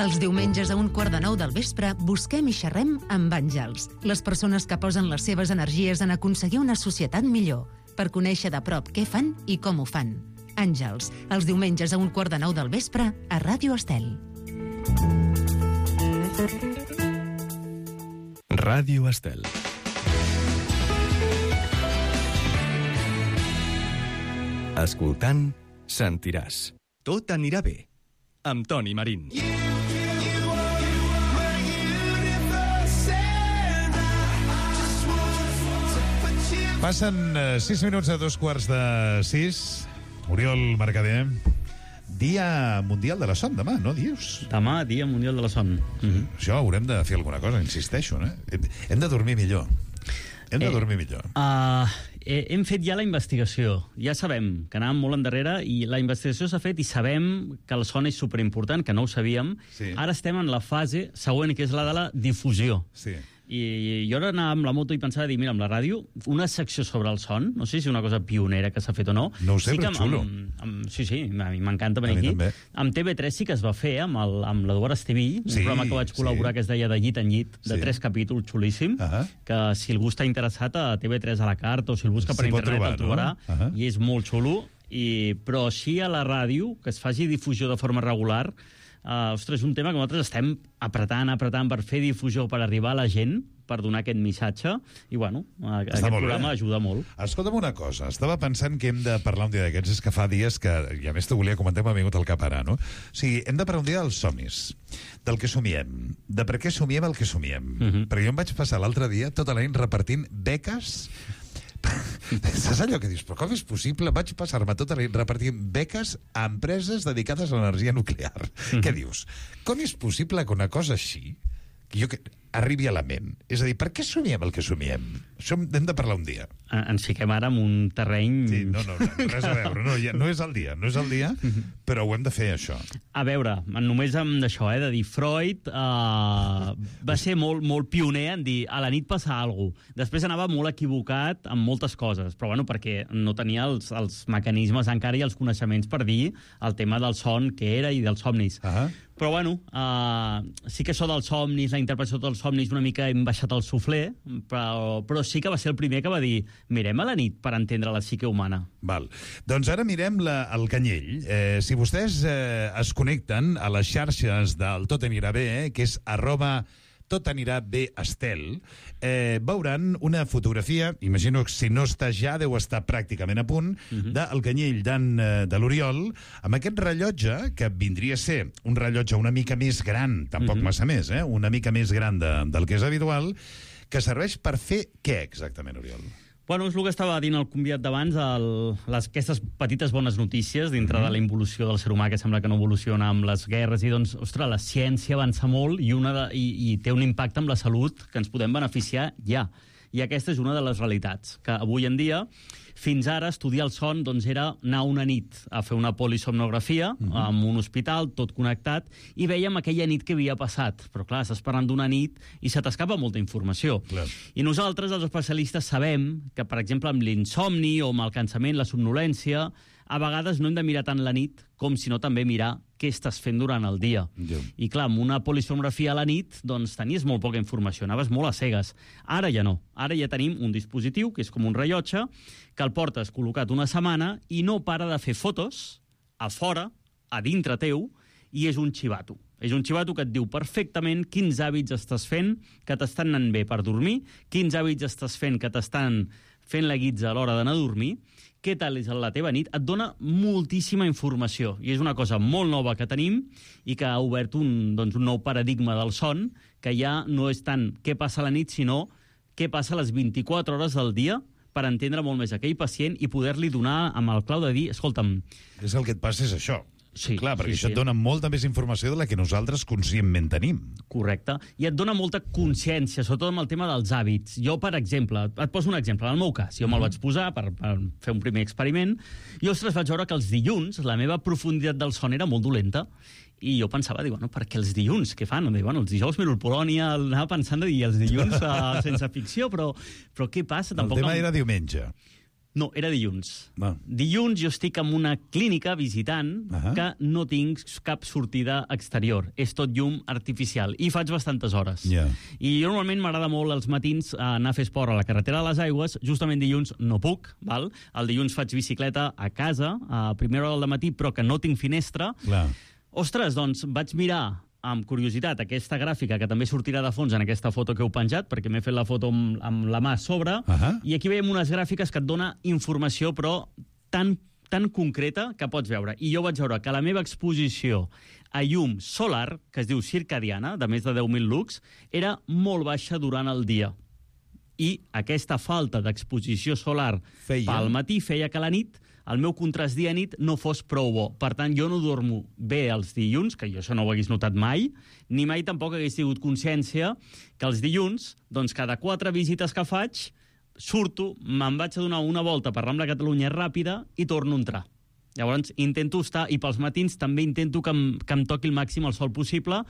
F: Els diumenges a 8:45 del vespre busquem i xerrem amb àngels, les persones que posen les seves energies en aconseguir una societat millor, per conèixer de prop què fan i com ho fan. Àngels, els diumenges a 8:45 del vespre a Ràdio Estel.
A: Ràdio Estel. Escoltant, sentiràs. Tot anirà bé. Amb Toni Marín.
H: Passen 6 minuts a 2:15. Oriol Mercader. Dia Mundial de la Son, demà, no dius?
L: Demà, Dia Mundial de la Son.
H: Això haurem de fer alguna cosa, insisteixo, no? Hem de dormir millor. Dormir millor.
L: Hem fet ja la investigació. Ja sabem que anàvem molt endarrere i la investigació s'ha fet i sabem que el son és superimportant, que no ho sabíem. Sí. Ara estem en la fase següent, que és la de la difusió.
H: Sí.
L: I jo ara anava amb la moto i pensava dir, mira, amb la ràdio, una secció sobre el son, no sé si és una cosa pionera que s'ha fet o no.
H: No ho sé, però xulo.
L: Sí, a mi m'encanta venir aquí.
H: També.
L: Amb TV3 sí que es va fer, amb l'Eduard Estevill, un programa que vaig col·laborar que es deia De llit en llit, de 3 capítols, xulíssim, que si algú està interessat a TV3 a la carta o si el busca per internet el trobarà, i és molt xulo, però així a la ràdio, que es faci difusió de forma regular, ostres, és un tema que nosaltres estem apretant per fer difusió, per arribar a la gent, per donar aquest missatge, i bueno, aquest programa ajuda molt.
H: Escolta'm una cosa, estava pensant que hem de parlar un dia d'aquests, és que fa dies que, i a més t'ho volia comentar, m'ha vingut al cap ara, no? O sigui, hem de parlar un dia dels somnis, del que somiem, de per què somiem el que somiem. Perquè jo em vaig passar l'altre dia tota la nit repartint beques. Saps allò que dius, però com és possible? Vaig passar-me tota la nit repartint beques a empreses dedicades a l'energia nuclear. Què dius? Com és possible que una cosa així arribi a la ment? És a dir, per què somiem el que somiem? Això hem de parlar un dia.
L: Ens fiquem ara en un terreny...
H: Sí, no, res a veure. No és el dia, però ho hem de fer, això.
L: A veure, només amb això, de dir Freud va ser molt pioner en dir a la nit passa alguna cosa. Després anava molt equivocat amb moltes coses, però bueno, perquè no tenia els mecanismes encara i els coneixements per dir el tema del son que era i dels somnis. Però bueno, sí que això dels somnis, la interpretació dels somnis, una mica hem baixat el suflé, però sí que va ser el primer que va dir mirem a la nit per entendre la psique humana.
H: Val. Doncs ara mirem el Canyell. Si vostès es connecten a les xarxes del Tot anirà bé, que és @totanirabestel, veuran una fotografia, imagino que si no està ja deu estar pràcticament a punt, del Canyell de l'Oriol, amb aquest rellotge, que vindria a ser un rellotge una mica més gran, tampoc massa més, una mica més gran del que és habitual, que serveix per fer què exactament, Oriol?
L: Bueno, és el que estava dient el convidat d'abans, aquestes petites bones notícies dintre de la involució del ser humà, que sembla que no evoluciona amb les guerres, i doncs, ostres, la ciència avança molt i té un impacte amb la salut que ens podem beneficiar ja. I aquesta és una de les realitats, que avui en dia, fins ara, estudiar el son doncs, era anar una nit a fer una polisomnografia en un hospital, tot connectat, i vèiem aquella nit que havia passat. Però clar, estàs parlant d'una nit i se t'escapa molta informació.
H: Clar.
L: I nosaltres, els especialistes, sabem que, per exemple, amb l'insomni o amb el cansament, la somnolència, a vegades no hem de mirar tant la nit com sinó també mirar què estàs fent durant el dia. I clar, amb una polisomnografia a la nit doncs tenies molt poca informació, anaves molt a cegues. Ara ja no. Ara ja tenim un dispositiu, que és com un rellotge, que el portes col·locat una setmana i no para de fer fotos a fora, a dintre teu, i és un xivato. És un xivato que et diu perfectament quins hàbits estàs fent que t'estan anant bé per dormir, quins hàbits estàs fent que t'estan fent la guitza a l'hora d'anar a dormir, què tal és la teva nit, et dona moltíssima informació. I és una cosa molt nova que tenim i que ha obert un nou paradigma del son, que ja no és tant què passa a la nit, sinó què passa a les 24 hores del dia per entendre molt més aquell pacient i poder-li donar amb el clau de dir, escolta'm...
H: És el que et passa és això.
L: Sí,
H: clar, perquè
L: sí,
H: això et dona molta més informació de la que nosaltres conscientment tenim.
L: Correcte. I et dona molta consciència, sobretot amb el tema dels hàbits. Jo, per exemple, et poso un exemple. En el meu cas, jo me'l vaig posar per fer un primer experiment i, ostres, vaig veure que els dilluns la meva profunditat del son era molt dolenta. I jo pensava, dic, bueno, per què els dilluns? Què fan? Dic, bueno, els dijous miro el Polònia, anava pensant de dir els dilluns sense ficció, però què passa?
H: El tema era diumenge.
L: No, era dilluns. Dilluns jo estic en una clínica visitant que no tinc cap sortida exterior. És tot llum artificial. I faig bastantes hores. I jo normalment m'agrada molt als matins anar a fer esport a la carretera de les Aigües. Justament dilluns no puc, val? El dilluns faig bicicleta a casa, a primera hora del matí, però que no tinc finestra. Ostres, doncs vaig mirar amb curiositat aquesta gràfica, que també sortirà de fons en aquesta foto que heu penjat, perquè m'he fet la foto amb la mà a sobre, i aquí veiem unes gràfiques que et dona informació, però tan concreta que pots veure. I jo vaig veure que la meva exposició a llum solar, que es diu circadiana, de més de 10.000 lux, era molt baixa durant el dia. I aquesta falta d'exposició solar pel matí feia que a la nit el meu contrast dia-nit no fos prou bo. Per tant, jo no dormo bé els dilluns, que jo això no ho hagués notat mai, ni mai tampoc hagués tingut consciència que els dilluns, doncs cada 4 visites que faig, surto, me'n vaig a donar una volta per Rambla Catalunya ràpida i torno a entrar. Llavors, intento estar, i pels matins també intento que em toqui el màxim el sol possible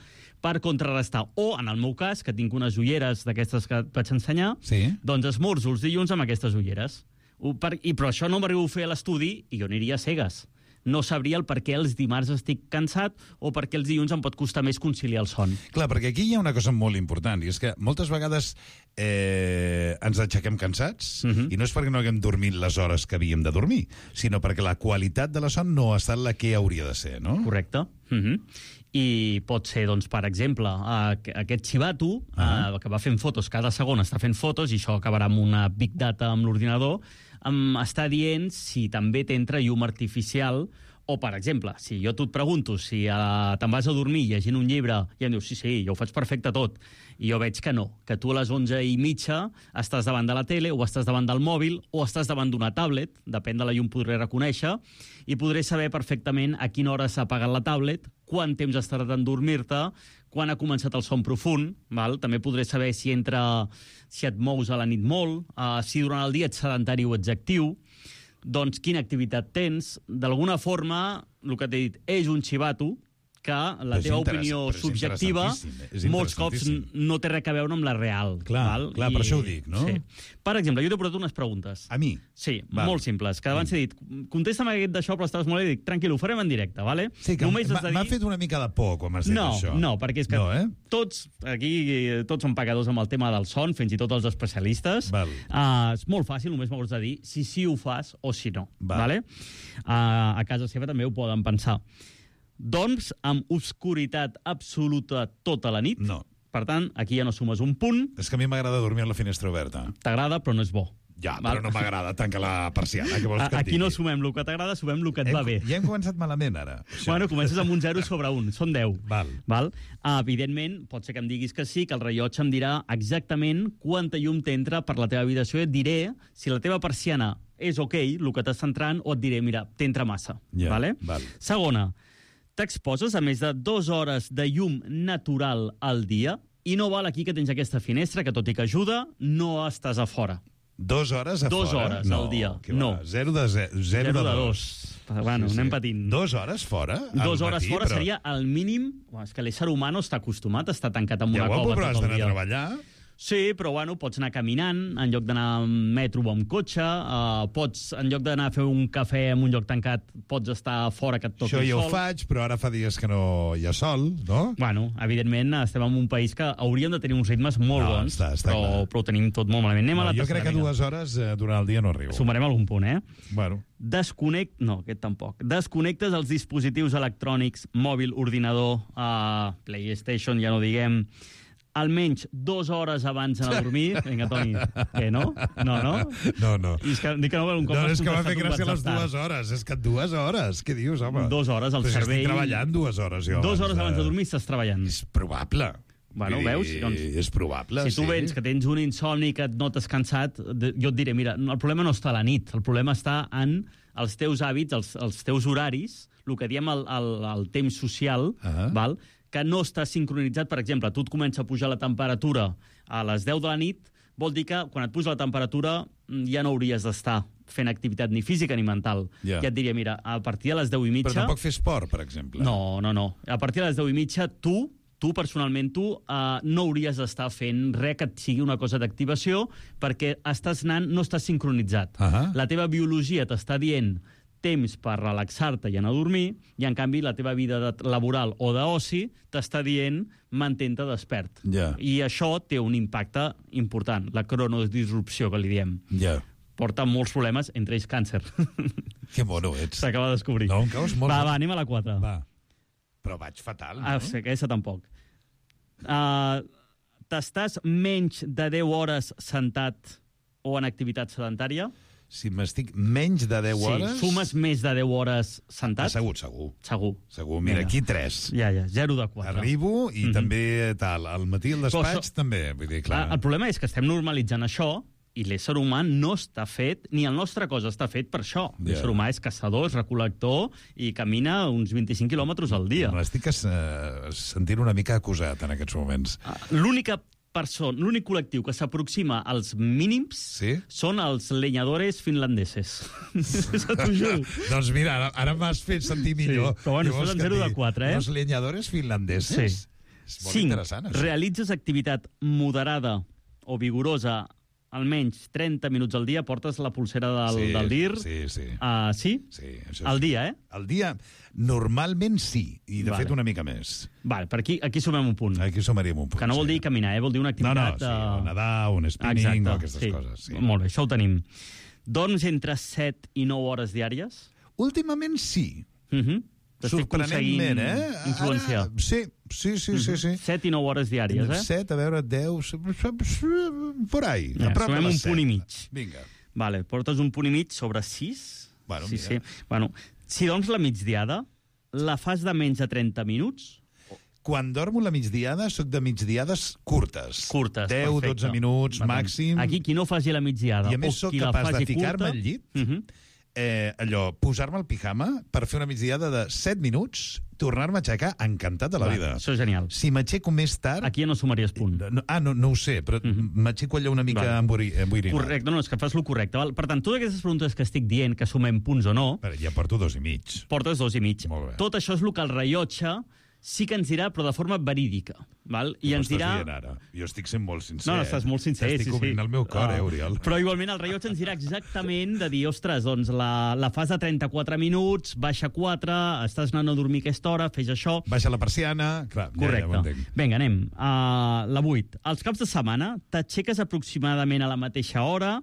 L: per contrarrestar. O, en el meu cas, que tinc unes ulleres d'aquestes que et vaig ensenyar, doncs esmorzo els dilluns amb aquestes ulleres. Però això no m'arribo a fer a l'estudi i jo aniria a cegues. No sabria el per què els dimarts estic cansat o per què els dilluns em pot costar més conciliar el son.
H: Clar, perquè aquí hi ha una cosa molt important, i és que moltes vegades ens aixequem cansats, i no és perquè no haguem dormit les hores que havíem de dormir, sinó perquè la qualitat de la son no ha estat la que hauria de ser, no?
L: Correcte. I pot ser, doncs, per exemple, aquest xivato que va fent fotos, cada segon està fent fotos, i això acabarà amb una big data amb l'ordinador, està dient si també t'entra llum artificial, o, per exemple, si jo et pregunto si te'n vas a dormir llegint un llibre i em dius, sí, jo ho faig perfecte tot, i jo veig que no, que tu a les 11:30 estàs davant de la tele, o estàs davant del mòbil, o estàs davant d'una tablet, depèn de la llum podré reconèixer, i podré saber perfectament a quina hora s'ha apagat la tablet, quant temps has tardat en dormir-te, quan ha començat el son profund, val? També podré saber si et mous a la nit molt, si durant el dia ets sedentari o ets actiu, doncs quina activitat tens. D'alguna forma, el que t'he dit, és un xivato que la teva opinió subjectiva molts cops no té res a veure amb la real.
H: Clar, per això ho dic, no?
L: Sí. Per exemple, jo t'he portat unes preguntes.
H: A mi?
L: Sí, molt simples. Que abans he dit, contesta'm aquest d'això, però estaves molt bé, i dic, tranquil, ho farem en directe, vale?
H: Sí, que m'ha fet una mica de por quan m'has dit això.
L: No, perquè és que tots som pecadors amb el tema del son, fins i tot els especialistes. És molt fàcil, només m'hauràs de dir si sí ho fas o si no. A casa seva també ho poden pensar. Dorms amb obscuritat absoluta tota la nit.
H: No.
L: Per tant, aquí ja no sumes un punt.
H: És que a mi m'agrada dormir amb la finestra oberta.
L: T'agrada, però no és bo.
H: Ja, però no m'agrada, tanca la persiana. Què vols que et digui?
L: Aquí no sumem el que t'agrada, sumem el que et va bé.
H: Ja hem començat malament, ara.
L: Bueno, comences amb un 0 sobre 1, són 10. Val? Evidentment, pot ser que em diguis que sí, que el rellotge em dirà exactament quanta llum t'entra per la teva habitació i et diré si la teva persiana és ok, el que t'està entrant, o et diré, mira, t'entra massa. Segona, t'exposes a més de 2 hores de llum natural al dia i no val aquí que tens aquesta finestra que, tot i que ajuda, no estàs a fora.
H: 2 hores a fora?
L: 2 hores al dia. No.
H: 0 de 2.
L: Bueno, anem patint.
H: 2 hores fora?
L: 2 hores fora seria el mínim. És que l'ésser humà no està acostumat a estar tancat en una cova tot el dia.
H: Ja ho has d'anar a treballar.
L: Sí, però bueno, pots anar caminant en lloc d'anar amb metro o amb cotxe, pots, en lloc d'anar a fer un cafè en un lloc tancat, pots estar fora que et toqui el sol.
H: Això ja ho faig, però ara fa dies que no hi ha sol, no?
L: Bueno, evidentment estem en un país que hauríem de tenir uns ritmes molt bons, però ho tenim tot molt malament. Anem a la
H: jo crec que 2 hores durant el dia no arribo.
L: Sumarem algun punt,
H: Bueno.
L: No, aquest tampoc. Desconnectes els dispositius electrònics, mòbil, ordinador, PlayStation, ja no diguem, almenys 2 hores abans d'anar a dormir. Vinga, Toni, què, no? No.
H: No.
L: I és que dic que no, un cop
H: és que m'ha fet gràcia les 2 hores. És que 2 hores, què dius, home?
L: 2 hores, el cervell...
H: Estic treballant 2 hores, jo.
L: 2 hores abans de dormir estàs treballant.
H: És probable.
L: Bueno, veus? Doncs,
H: és probable,
L: si tu vens que tens un insomni, que et notes cansat, jo et diré, mira, el problema no està a la nit, el problema està en els teus hàbits, els teus horaris, el que diem el temps social, val? Que no està sincronitzat. Per exemple, tu et comença a pujar la temperatura a les 10 de la nit, vol dir que quan et puja la temperatura ja no hauries d'estar fent activitat ni física ni mental. Ja et diria, mira, a partir de les 10 i mitja...
H: Però tampoc fer esport, per exemple.
L: No. A partir de les 10 i mitja, tu personalment, no hauries d'estar fent res que et sigui una cosa d'activació perquè no estàs sincronitzat. La teva biologia t'està dient temps per relaxar-te i anar a dormir, i en canvi la teva vida laboral o d'oci t'està dient mantén-te despert. I això té un impacte important, la cronodisrupció, que li diem. Porta molts problemes, entre ells càncer.
H: Que mono ets.
L: S'acaba de descobrir.
H: No, em caus molt.
L: Va, anem a la 4.
H: Va. Però vaig fatal, no?
L: Sí, aquesta tampoc. T'estàs menys de 10 hores sentat o en activitat sedentària?
H: Si m'estic menys de 10 hores...
L: Sí, sumes més de 10 hores sentat?
H: Segur. Mira, aquí 3.
L: Ja, 0 de 4.
H: Arribo i també tal. Al matí al despatx també. Vull dir, clar.
L: El problema és que estem normalitzant això i l'ésser humà no està fet, ni el nostre cos està fet per això. L'ésser humà és caçador, és recol·lector i camina uns 25 quilòmetres al dia.
H: M'estic sentint una mica acusat en aquests moments.
L: L'únic col·lectiu que s'aproxima als mínims són els leñadores finlandeses. T'ho juro.
H: Doncs mira, ara m'has fet sentir millor.
L: Però bueno, són 0 de 4,
H: Los leñadores finlandeses? És molt interessant, això.
L: Realitzes activitat moderada o vigorosa almenys 30 minuts al dia, portes la pulsera del DIR.
H: Sí.
L: Sí? Al dia,
H: Al dia, normalment sí, i de fet una mica més.
L: Vale, per aquí sumem un punt.
H: Aquí sumaríem un punt.
L: Que no vol dir caminar, vol dir una activitat...
H: No, nedar, un spinning o aquestes coses.
L: Molt bé, això ho tenim. Dorms entre 7 i 9 hores diàries?
H: Últimament sí.
L: Sorprenentment, influenciar.
H: Sí.
L: 7 i 9 hores diàries,
H: 7, a veure, 10... Por ahí.
L: Sumem un punt i mig.
H: Vinga.
L: Vale, portes un punt i mig sobre 6.
H: Bueno,
L: sí. Bueno, si dorms la migdiada, la fas de menys de 30 minuts?
H: Quan dormo la migdiada, soc de migdiades curtes. 10-12 minuts màxim.
L: Aquí, qui no faci la migdiada,
H: i a més soc capaç de ficar-me al llit, posar-me el pijama per fer una migdiada de 7 minuts, tornar-me a aixecar encantat de la vida.
L: Això és genial.
H: Si m'aixeco més tard...
L: Aquí ja no sumaries punt.
H: No ho sé, però m'aixeco allò una mica emboirinat.
L: Correcte, no, és que fas lo correcte. Val? Per tant, totes aquestes preguntes que estic dient, que sumem punts o no...
H: Ja porto 2,5.
L: Portes 2,5.
H: Molt bé.
L: Tot això és el que el rellotge sí que ens dirà, però de forma verídica. Val? I ens dirà...
H: Ara? Jo estic sent molt sincer.
L: No, estàs molt sincer,
H: Estic obrint el meu cor, Oriol.
L: Però igualment el rellotge ens dirà exactament de dir, ostres, doncs la fas de 34 minuts, baixa 4, estàs anant a dormir aquesta hora, fes això...
H: Baixa la persiana... Clar,
L: correcte. Vinga, anem. La 8. Els caps de setmana t'aixeques aproximadament a la mateixa hora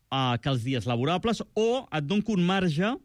L: que els dies laborables o et dono un marge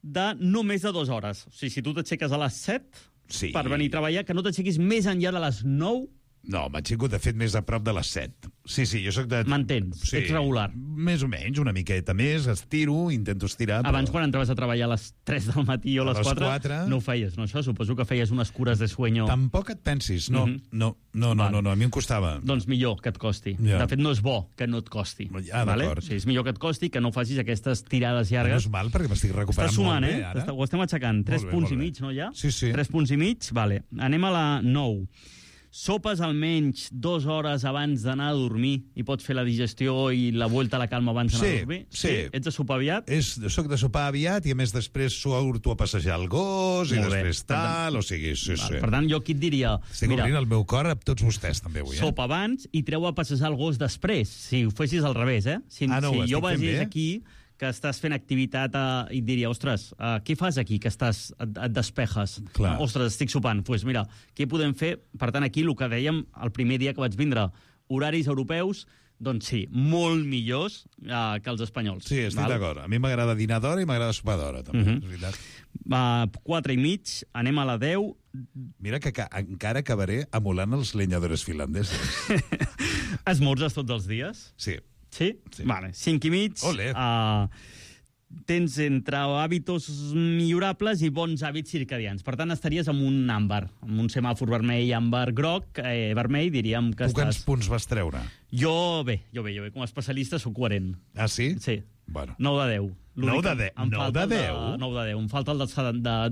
L: de no més de 2 hores. O sigui, si tu t'aixeques a les 7...
H: Sí.
L: Per venir a treballar, que no t'aixequis més enllà de les 9?
H: No, m'aixeco, de fet, més a prop de les 7. Sí, jo soc de...
L: Mantens, ets regular.
H: Més o menys, una miqueta més, estiro, intento estirar...
L: Abans, quan entraves a treballar a les 3 del matí o a les 4, no ho feies, no això? Suposo que feies unes cures de sueño...
H: Tampoc et pensis, no, a mi em costava.
L: Doncs millor que et costi. De fet, no és bo que no et costi.
H: D'acord.
L: O sigui, és millor que et costi que no facis aquestes tirades llargues.
H: No és mal, perquè m'estic recuperant molt bé, ara.
L: Ho estem aixecant. 3 punts i mig, no, ja?
H: Sí.
L: 3 punts i mig, vale. Anem a la 9. sopes almenys 2 hores abans d'anar a dormir i pots fer la digestió i la vuelta a la calma abans d'anar a dormir?
H: Sí.
L: Ets de sopar aviat?
H: Soc de sopar aviat i, a més, després surto a passejar el gos i després tal, o sigui, sí.
L: Per tant, jo aquí et diria...
H: Estic obrint el meu cor a tots vostès, també, avui.
L: Sopa abans i treu a passejar el gos després, si ho fessis al revés, Si jo vegés aquí que estàs fent activitat i et diria, ostres, què fas aquí, que et despejes?
H: Clar.
L: Ostres, estic sopant. Doncs mira, què podem fer? Per tant, aquí el que dèiem el primer dia que vaig vindre, horaris europeus, doncs sí, molt millors que els espanyols.
H: Sí, estic d'acord. A mi m'agrada dinar d'hora i m'agrada sopar d'hora, també, és veritat.
L: 4:30, anem a la 10.
H: Mira que encara acabaré emulant els lenyadores finlandesos.
L: Esmorzes tots els dies?
H: Sí.
L: Sí? Vale, 5:30.
H: Olé.
L: Tens entre hàbitos millorables i bons hàbits circadians. Per tant, estaries amb un àmbar, amb un semàfor vermell, àmbar, groc, vermell, diríem que
H: tu quants punts vas treure?
L: Jo bé, com a especialista soc coherent.
H: Ah, sí?
L: Sí.
H: Bueno.
L: 9 de 10.
H: 9 de 10?
L: 9 de 10? 9 de 10. Em falta el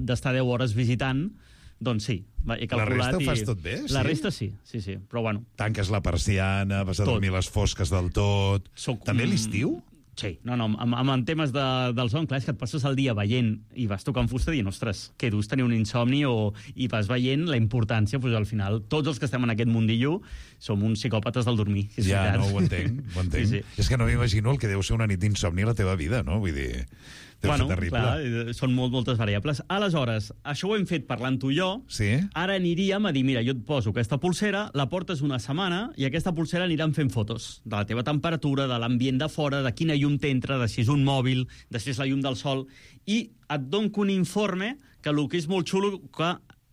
L: d'estar 10 hores visitant. Doncs sí, he calculat...
H: La resta ho fas tot bé?
L: La resta sí, però bueno...
H: Tanques la persiana, vas a dormir les fosques del tot... També l'estiu?
L: Sí, amb temes del son, clar, és que et passes el dia veient i vas tocant fusta dient, ostres, que dus tenir un insomni i vas veient la importància, doncs al final, tots els que estem en aquest mundillo som uns psicòpates del dormir.
H: Ja, no, ho entenc. Sí. És que no m'imagino el que deu ser una nit d'insomni a la teva vida, no? Vull dir...
L: Bueno, clar, són moltes variables. Aleshores, això ho hem fet parlant tu i jo.
H: Sí.
L: Ara aniríem a dir, mira, jo et poso aquesta pulsera, la portes una setmana i aquesta pulsera aniran fent fotos de la teva temperatura, de l'ambient de fora, de quina llum t'entra, de si és un mòbil, de si és la llum del sol, i et dono un informe que el que és molt xulo, que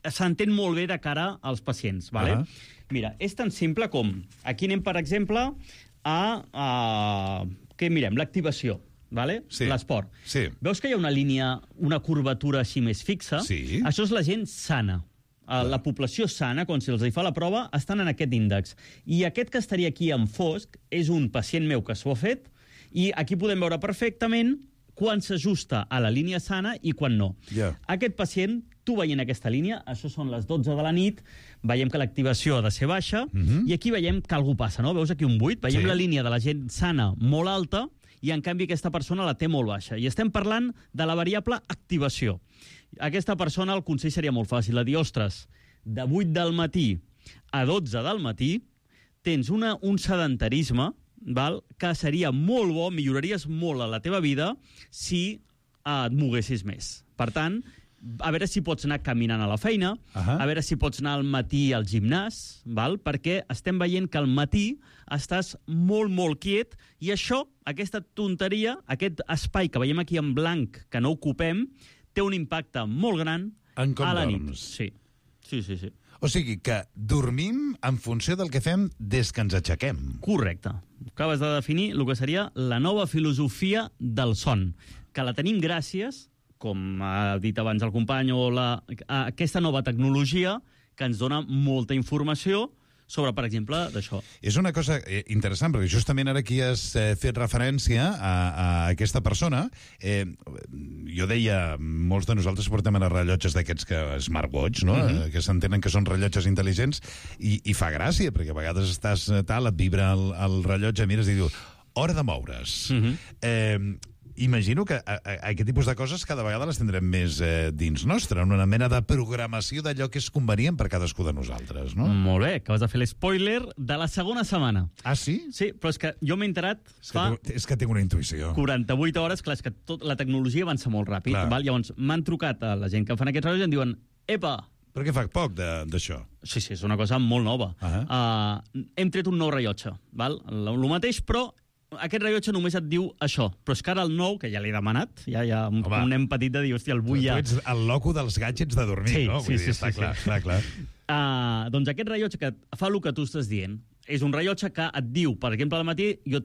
L: s'entén molt bé de cara als pacients. Vale? Mira, és tan simple com... Aquí anem, per exemple, què mirem? L'activació. Vale?
H: Sí.
L: L'esport.
H: Sí.
L: Veus que hi ha una línia, una curvatura així més fixa?
H: Sí.
L: Això és la gent sana. La població sana, quan se'ls fa la prova, estan en aquest índex. I aquest que estaria aquí en fosc és un pacient meu que s'ho ha fet i aquí podem veure perfectament quan s'ajusta a la línia sana i quan no. Aquest pacient, tu veient aquesta línia, això són les 12 de la nit, veiem que l'activació ha de ser baixa i aquí veiem que alguna passa, no? Veus aquí un buit? Veiem la línia de la gent sana molt alta i, en canvi, aquesta persona la té molt baixa. I estem parlant de la variable activació. Aquesta persona, el consell seria molt fàcil, de dir, ostres, de 8 del matí a 12 del matí tens un sedentarisme, que seria molt bo, milloraries molt a la teva vida si et moguessis més. Per tant, a veure si pots anar caminant a la feina, a veure si pots anar al matí al gimnàs, perquè estem veient que al matí estàs molt, molt quiet i això, aquesta tonteria, aquest espai que veiem aquí en blanc que no ocupem, té un impacte molt gran a la nit. Sí.
H: O sigui que dormim en funció del que fem des que ens aixequem.
L: Correcte. Acabes de definir el que seria la nova filosofia del son, que la tenim gràcies, com ha dit abans el company, a aquesta nova tecnologia que ens dona molta informació sobre, per exemple, d'això.
H: És una cosa interessant, perquè justament ara aquí has fet referència a aquesta persona. Jo deia, molts de nosaltres portem ara rellotges d'aquests smartwatch, no? Que s'entenen que són rellotges intel·ligents, i fa gràcia, perquè a vegades estàs tal, et vibra el rellotge, mires i dius, hora de moure's. Imagino que aquest tipus de coses cada vegada les tindrem més dins nostre, una mena de programació d'allò que és convenient per cadascú de nosaltres, no?
L: Molt bé, acabes de fer l'espoiler de la segona setmana.
H: Ah, sí?
L: Sí, però és que jo m'he enterat
H: És que tinc una intuïció.
L: 48 hores, clar, és que la tecnologia avança molt ràpid. Llavors, m'han trucat a la gent que fan aquests rellotges i em diuen, epa,
H: perquè fa poc d'això.
L: Sí, és una cosa molt nova. Hem tret un nou rellotge, el mateix, però aquest rellotge només et diu això, però és que ara el nou, que ja l'he demanat, ja hi ha un nen petit de dir, hòstia, el vull ja...
H: Tu ets el loco dels gadgets de dormir, no?
L: Sí,
H: està clar.
L: Doncs aquest rellotge que fa el que tu estàs dient, és un rellotge que et diu, per exemple, al matí, jo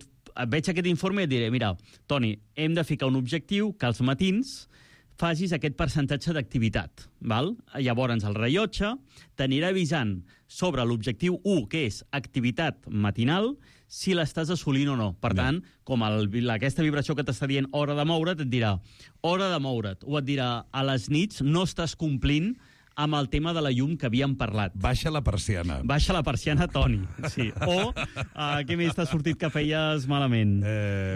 L: veig aquest informe i et diré, mira, Toni, hem de ficar un objectiu que als matins facis aquest percentatge d'activitat. Llavors, el rellotge t'anirà avisant sobre l'objectiu 1, que és activitat matinal, si l'estàs assolint o no. Per tant, com aquesta vibració que t'està dient hora de moure't, et dirà hora de moure't. O et dirà a les nits no estàs complint amb el tema de la llum que havíem parlat.
H: Baixa la persiana.
L: Baixa la persiana, Toni. Sí. O, què més t'ha sortit que feies malament?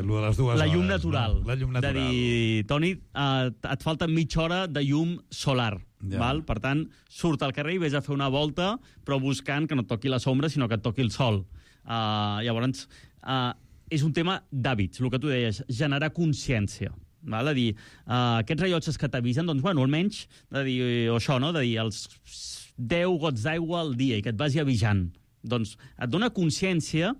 H: Lo de les 2 hores.
L: La llum natural.
H: No? La llum natural.
L: De dir, Toni, et falta mitja hora de llum solar.
H: Ja.
L: Val? Per tant, surt al carrer i vés a fer una volta, però buscant que no et toqui la sombra, sinó que et toqui el sol. Llavors, és un tema d'hàbits, el que tu deies, generar consciència. Val? De dir, aquests rellotges que t'avisen, doncs, bueno, almenys, de dir, o això, no? De dir, els 10 gots d'aigua al dia i que et vagi avisant. Doncs et dona consciència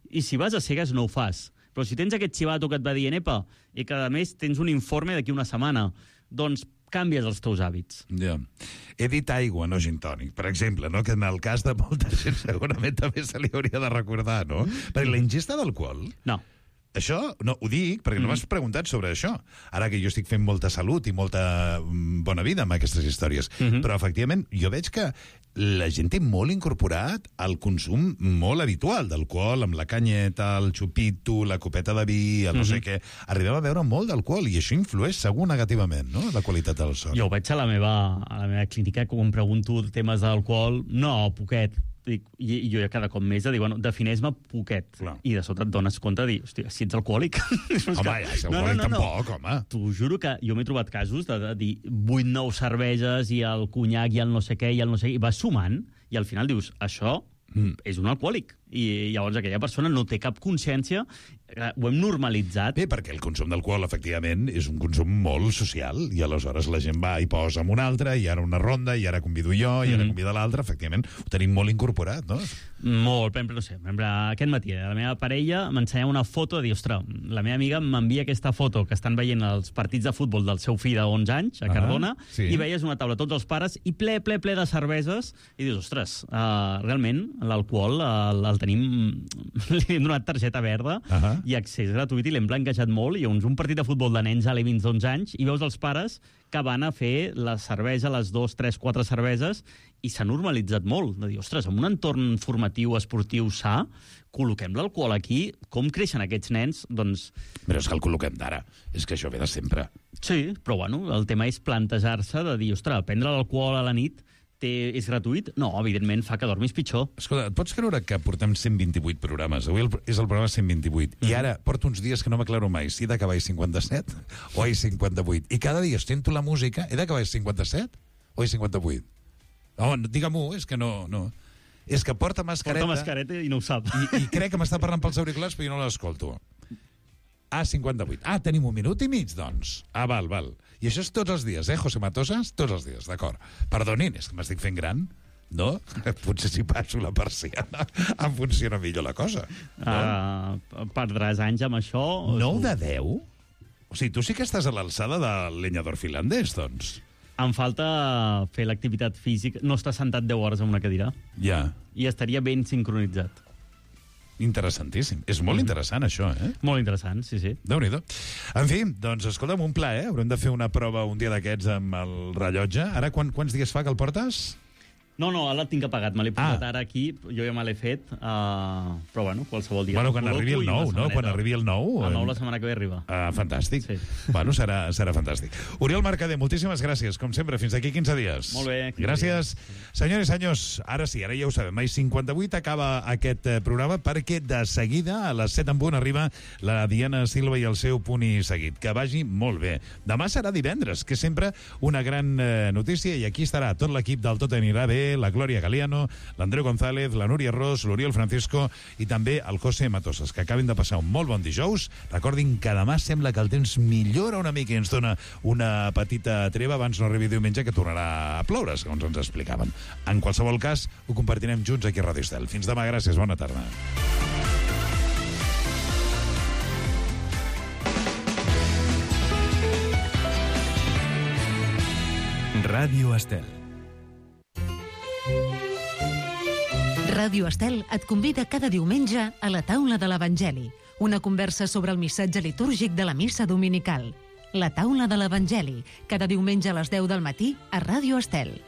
L: i si vas a cegues no ho fas. Però si tens aquest xivato que et va dient, epa, i que a més tens un informe d'aquí una setmana, doncs canvies els teus hàbits.
H: Ja. He dit aigua, no gin tònic, per exemple, no? Que en el cas de molta gent segurament també se li hauria de recordar, no? Perquè la ingesta d'alcohol...
L: No.
H: Això, no, ho dic perquè no m'has preguntat sobre això. Ara que jo estic fent molta salut i molta bona vida amb aquestes històries. Però, efectivament, jo veig que la gent té molt incorporat el consum molt habitual d'alcohol, amb la canyeta, el xupito, la copeta de vi, el no sé què. Arribem a beure molt d'alcohol i això influeix segur negativament, no?, la qualitat del son.
L: Jo ho veig a la meva clínica, quan em pregunto temes d'alcohol, no, poquet. I jo cada cop més de dir, bueno, defineix-me poquet. Clar. I de sota et dones compte de dir, hòstia, si ets alcohòlic...
H: Home, ja, si alcohòlic tampoc, home.
L: T'ho juro que jo m'he trobat casos de dir 8-9 cerveses i el conyac i el no sé què i el no sé què, i vas sumant, i al final dius, això és un alcohòlic. I llavors aquella persona no té cap consciència, ho hem normalitzat.
H: Bé, perquè el consum d'alcohol, efectivament, és un consum molt social, i aleshores la gent va i posa amb un altre, i ara una ronda, i ara convido jo, i ara convida l'altre, efectivament, ho tenim molt incorporat, no?
L: Molt, per exemple, no sé, aquest matí la meva parella m'ensenyava una foto de dir, ostres, la meva amiga m'envia aquesta foto que estan veient els partits de futbol del seu fill de 11 anys, a Cardona, i veies una taula, tots els pares, i ple de cerveses, i dius, ostres, realment l'alcohol el tenim, li hem donat targeta verda i accés gratuït i l'hem blanquejat molt, i un partit de futbol de nens alevins d'11 anys i veus els pares que van a fer la cervesa, les 2, 3, 4 cerveses, i s'ha normalitzat molt, de dir, ostres, en un entorn formatiu, esportiu, sa, col·loquem l'alcohol aquí, com creixen aquests nens, doncs...
H: Però és que el col·loquem d'ara, és que això ve de sempre.
L: Sí, però bueno, el tema és plantejar-se de dir, ostres, prendre l'alcohol a la nit és gratuït? No, evidentment fa que dormis pitjor.
H: Escolta, et pots creure que portem 128 programes? Avui és el programa 128. I ara porto uns dies que no m'aclaro mai si he d'acabar a 57 o a 58. I cada dia sento la música, he d'acabar a 57 o a 58? No, digue-m'ho, és que no... És que porta mascareta...
L: Porta mascareta i no ho sap.
H: I crec que m'està parlant pels auriculars, però jo no l'escolto. A58. Tenim un minut i mig, doncs. Val. I això és tots els dies, José Matosas? Tots els dies, d'acord. Perdonin, és que m'estic fent gran, no? Potser si passo la persiana em funciona millor la cosa. No?
L: Perdràs anys amb això?
H: 9 de 10? O sigui, tu sí que estàs a l'alçada del lenyador finlandès, doncs.
L: Em falta fer l'activitat física. No estar sentat 10 hores en una cadira.
H: Ja.
L: I estaria ben sincronitzat.
H: Interessantíssim. És molt interessant, això, eh?
L: Molt interessant, sí.
H: Déu-n'hi-do. En fi, doncs, escolta'm, un pla, eh? Haurem de fer una prova un dia d'aquests amb el rellotge. Ara, quants dies fa que el portes?
L: No, ara el tinc apagat. Me l'he posat ara aquí, jo ja me l'he fet, però bueno, qualsevol dia.
H: Bueno, quan arribi el 9, no? Quan arribi el 9...
L: El 9 la setmana que ve arriba.
H: Fantàstic.
L: Sí.
H: Bueno, serà fantàstic. Oriol Mercader, moltíssimes gràcies, com sempre. Fins d'aquí 15 dies.
L: Molt bé.
H: Gràcies. Senyores i senyors, ara sí, ara ja ho sabem. A 58 acaba aquest programa perquè de seguida, a les 7 en punt, arriba la Diana Silva i el seu punt i seguit. Que vagi molt bé. Demà serà divendres, que és sempre una gran notícia, i aquí estarà tot l'equip del Tot anirà bé, la Glòria Galiano, l'Andreu González, la Núria Ros, l'Oriol Francisco i també el José Matosas, que acabin de passar un molt bon dijous. Recordin que demà sembla que el temps millora una mica i ens dona una petita treva abans no arribi diumenge, que tornarà a ploure, segons ens explicaven. En qualsevol cas, ho compartirem junts aquí a Ràdio Estel. Fins demà, gràcies, bona tarda.
A: Ràdio Estel.
F: Ràdio Estel et convida cada diumenge a la taula de l'Evangeli, una conversa sobre el missatge litúrgic de la missa dominical. La taula de l'Evangeli, cada diumenge a les 10 del matí a Ràdio Estel.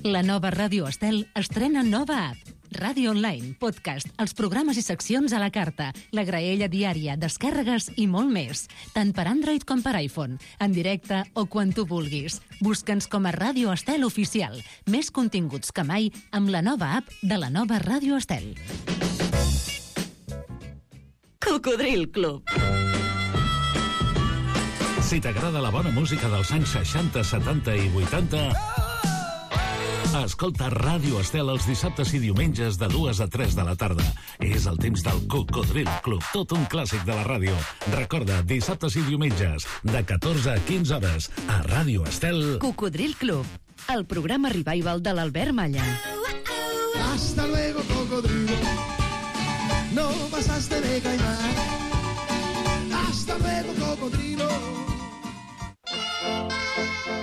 F: La nova Ràdio Estel estrena nova app. Ràdio online, podcast, els programes i seccions a la carta, la graella diària, descàrregues i molt més. Tant per Android com per iPhone, en directe o quan tu vulguis. Busca'ns com a Ràdio Estel Oficial. Més continguts que mai amb la nova app de la nova Ràdio Estel.
P: Cocodril Club.
Q: Si t'agrada la bona música dels anys 60, 70 i 80... escolta Ràdio Estel els dissabtes i diumenges de 2 a 3 de la tarda. És el temps del Cocodril Club, tot un clàssic de la ràdio. Recorda, dissabtes i diumenges, de 14 a 15 hores, a Ràdio Estel.
P: Cocodril Club, el programa revival de l'Albert Malla.
R: Hasta luego, cocodrilo. No pasaste de caimán. Hasta luego, cocodrilo.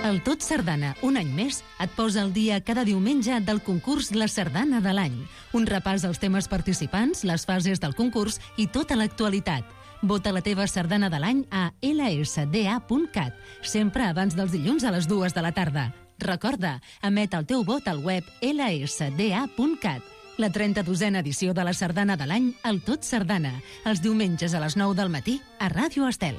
F: El Tot Sardana, un any més, et posa al dia cada diumenge del concurs La Sardana de l'any. Un repàs als temes participants, les fases del concurs i tota l'actualitat. Vota la teva sardana de l'any a lsda.cat, sempre abans dels dilluns a les 2 de la tarda. Recorda, emet el teu vot al web lsda.cat. La 32a edició de la sardana de l'any, el Tot Sardana, els diumenges a les 9 del matí a Ràdio Estel.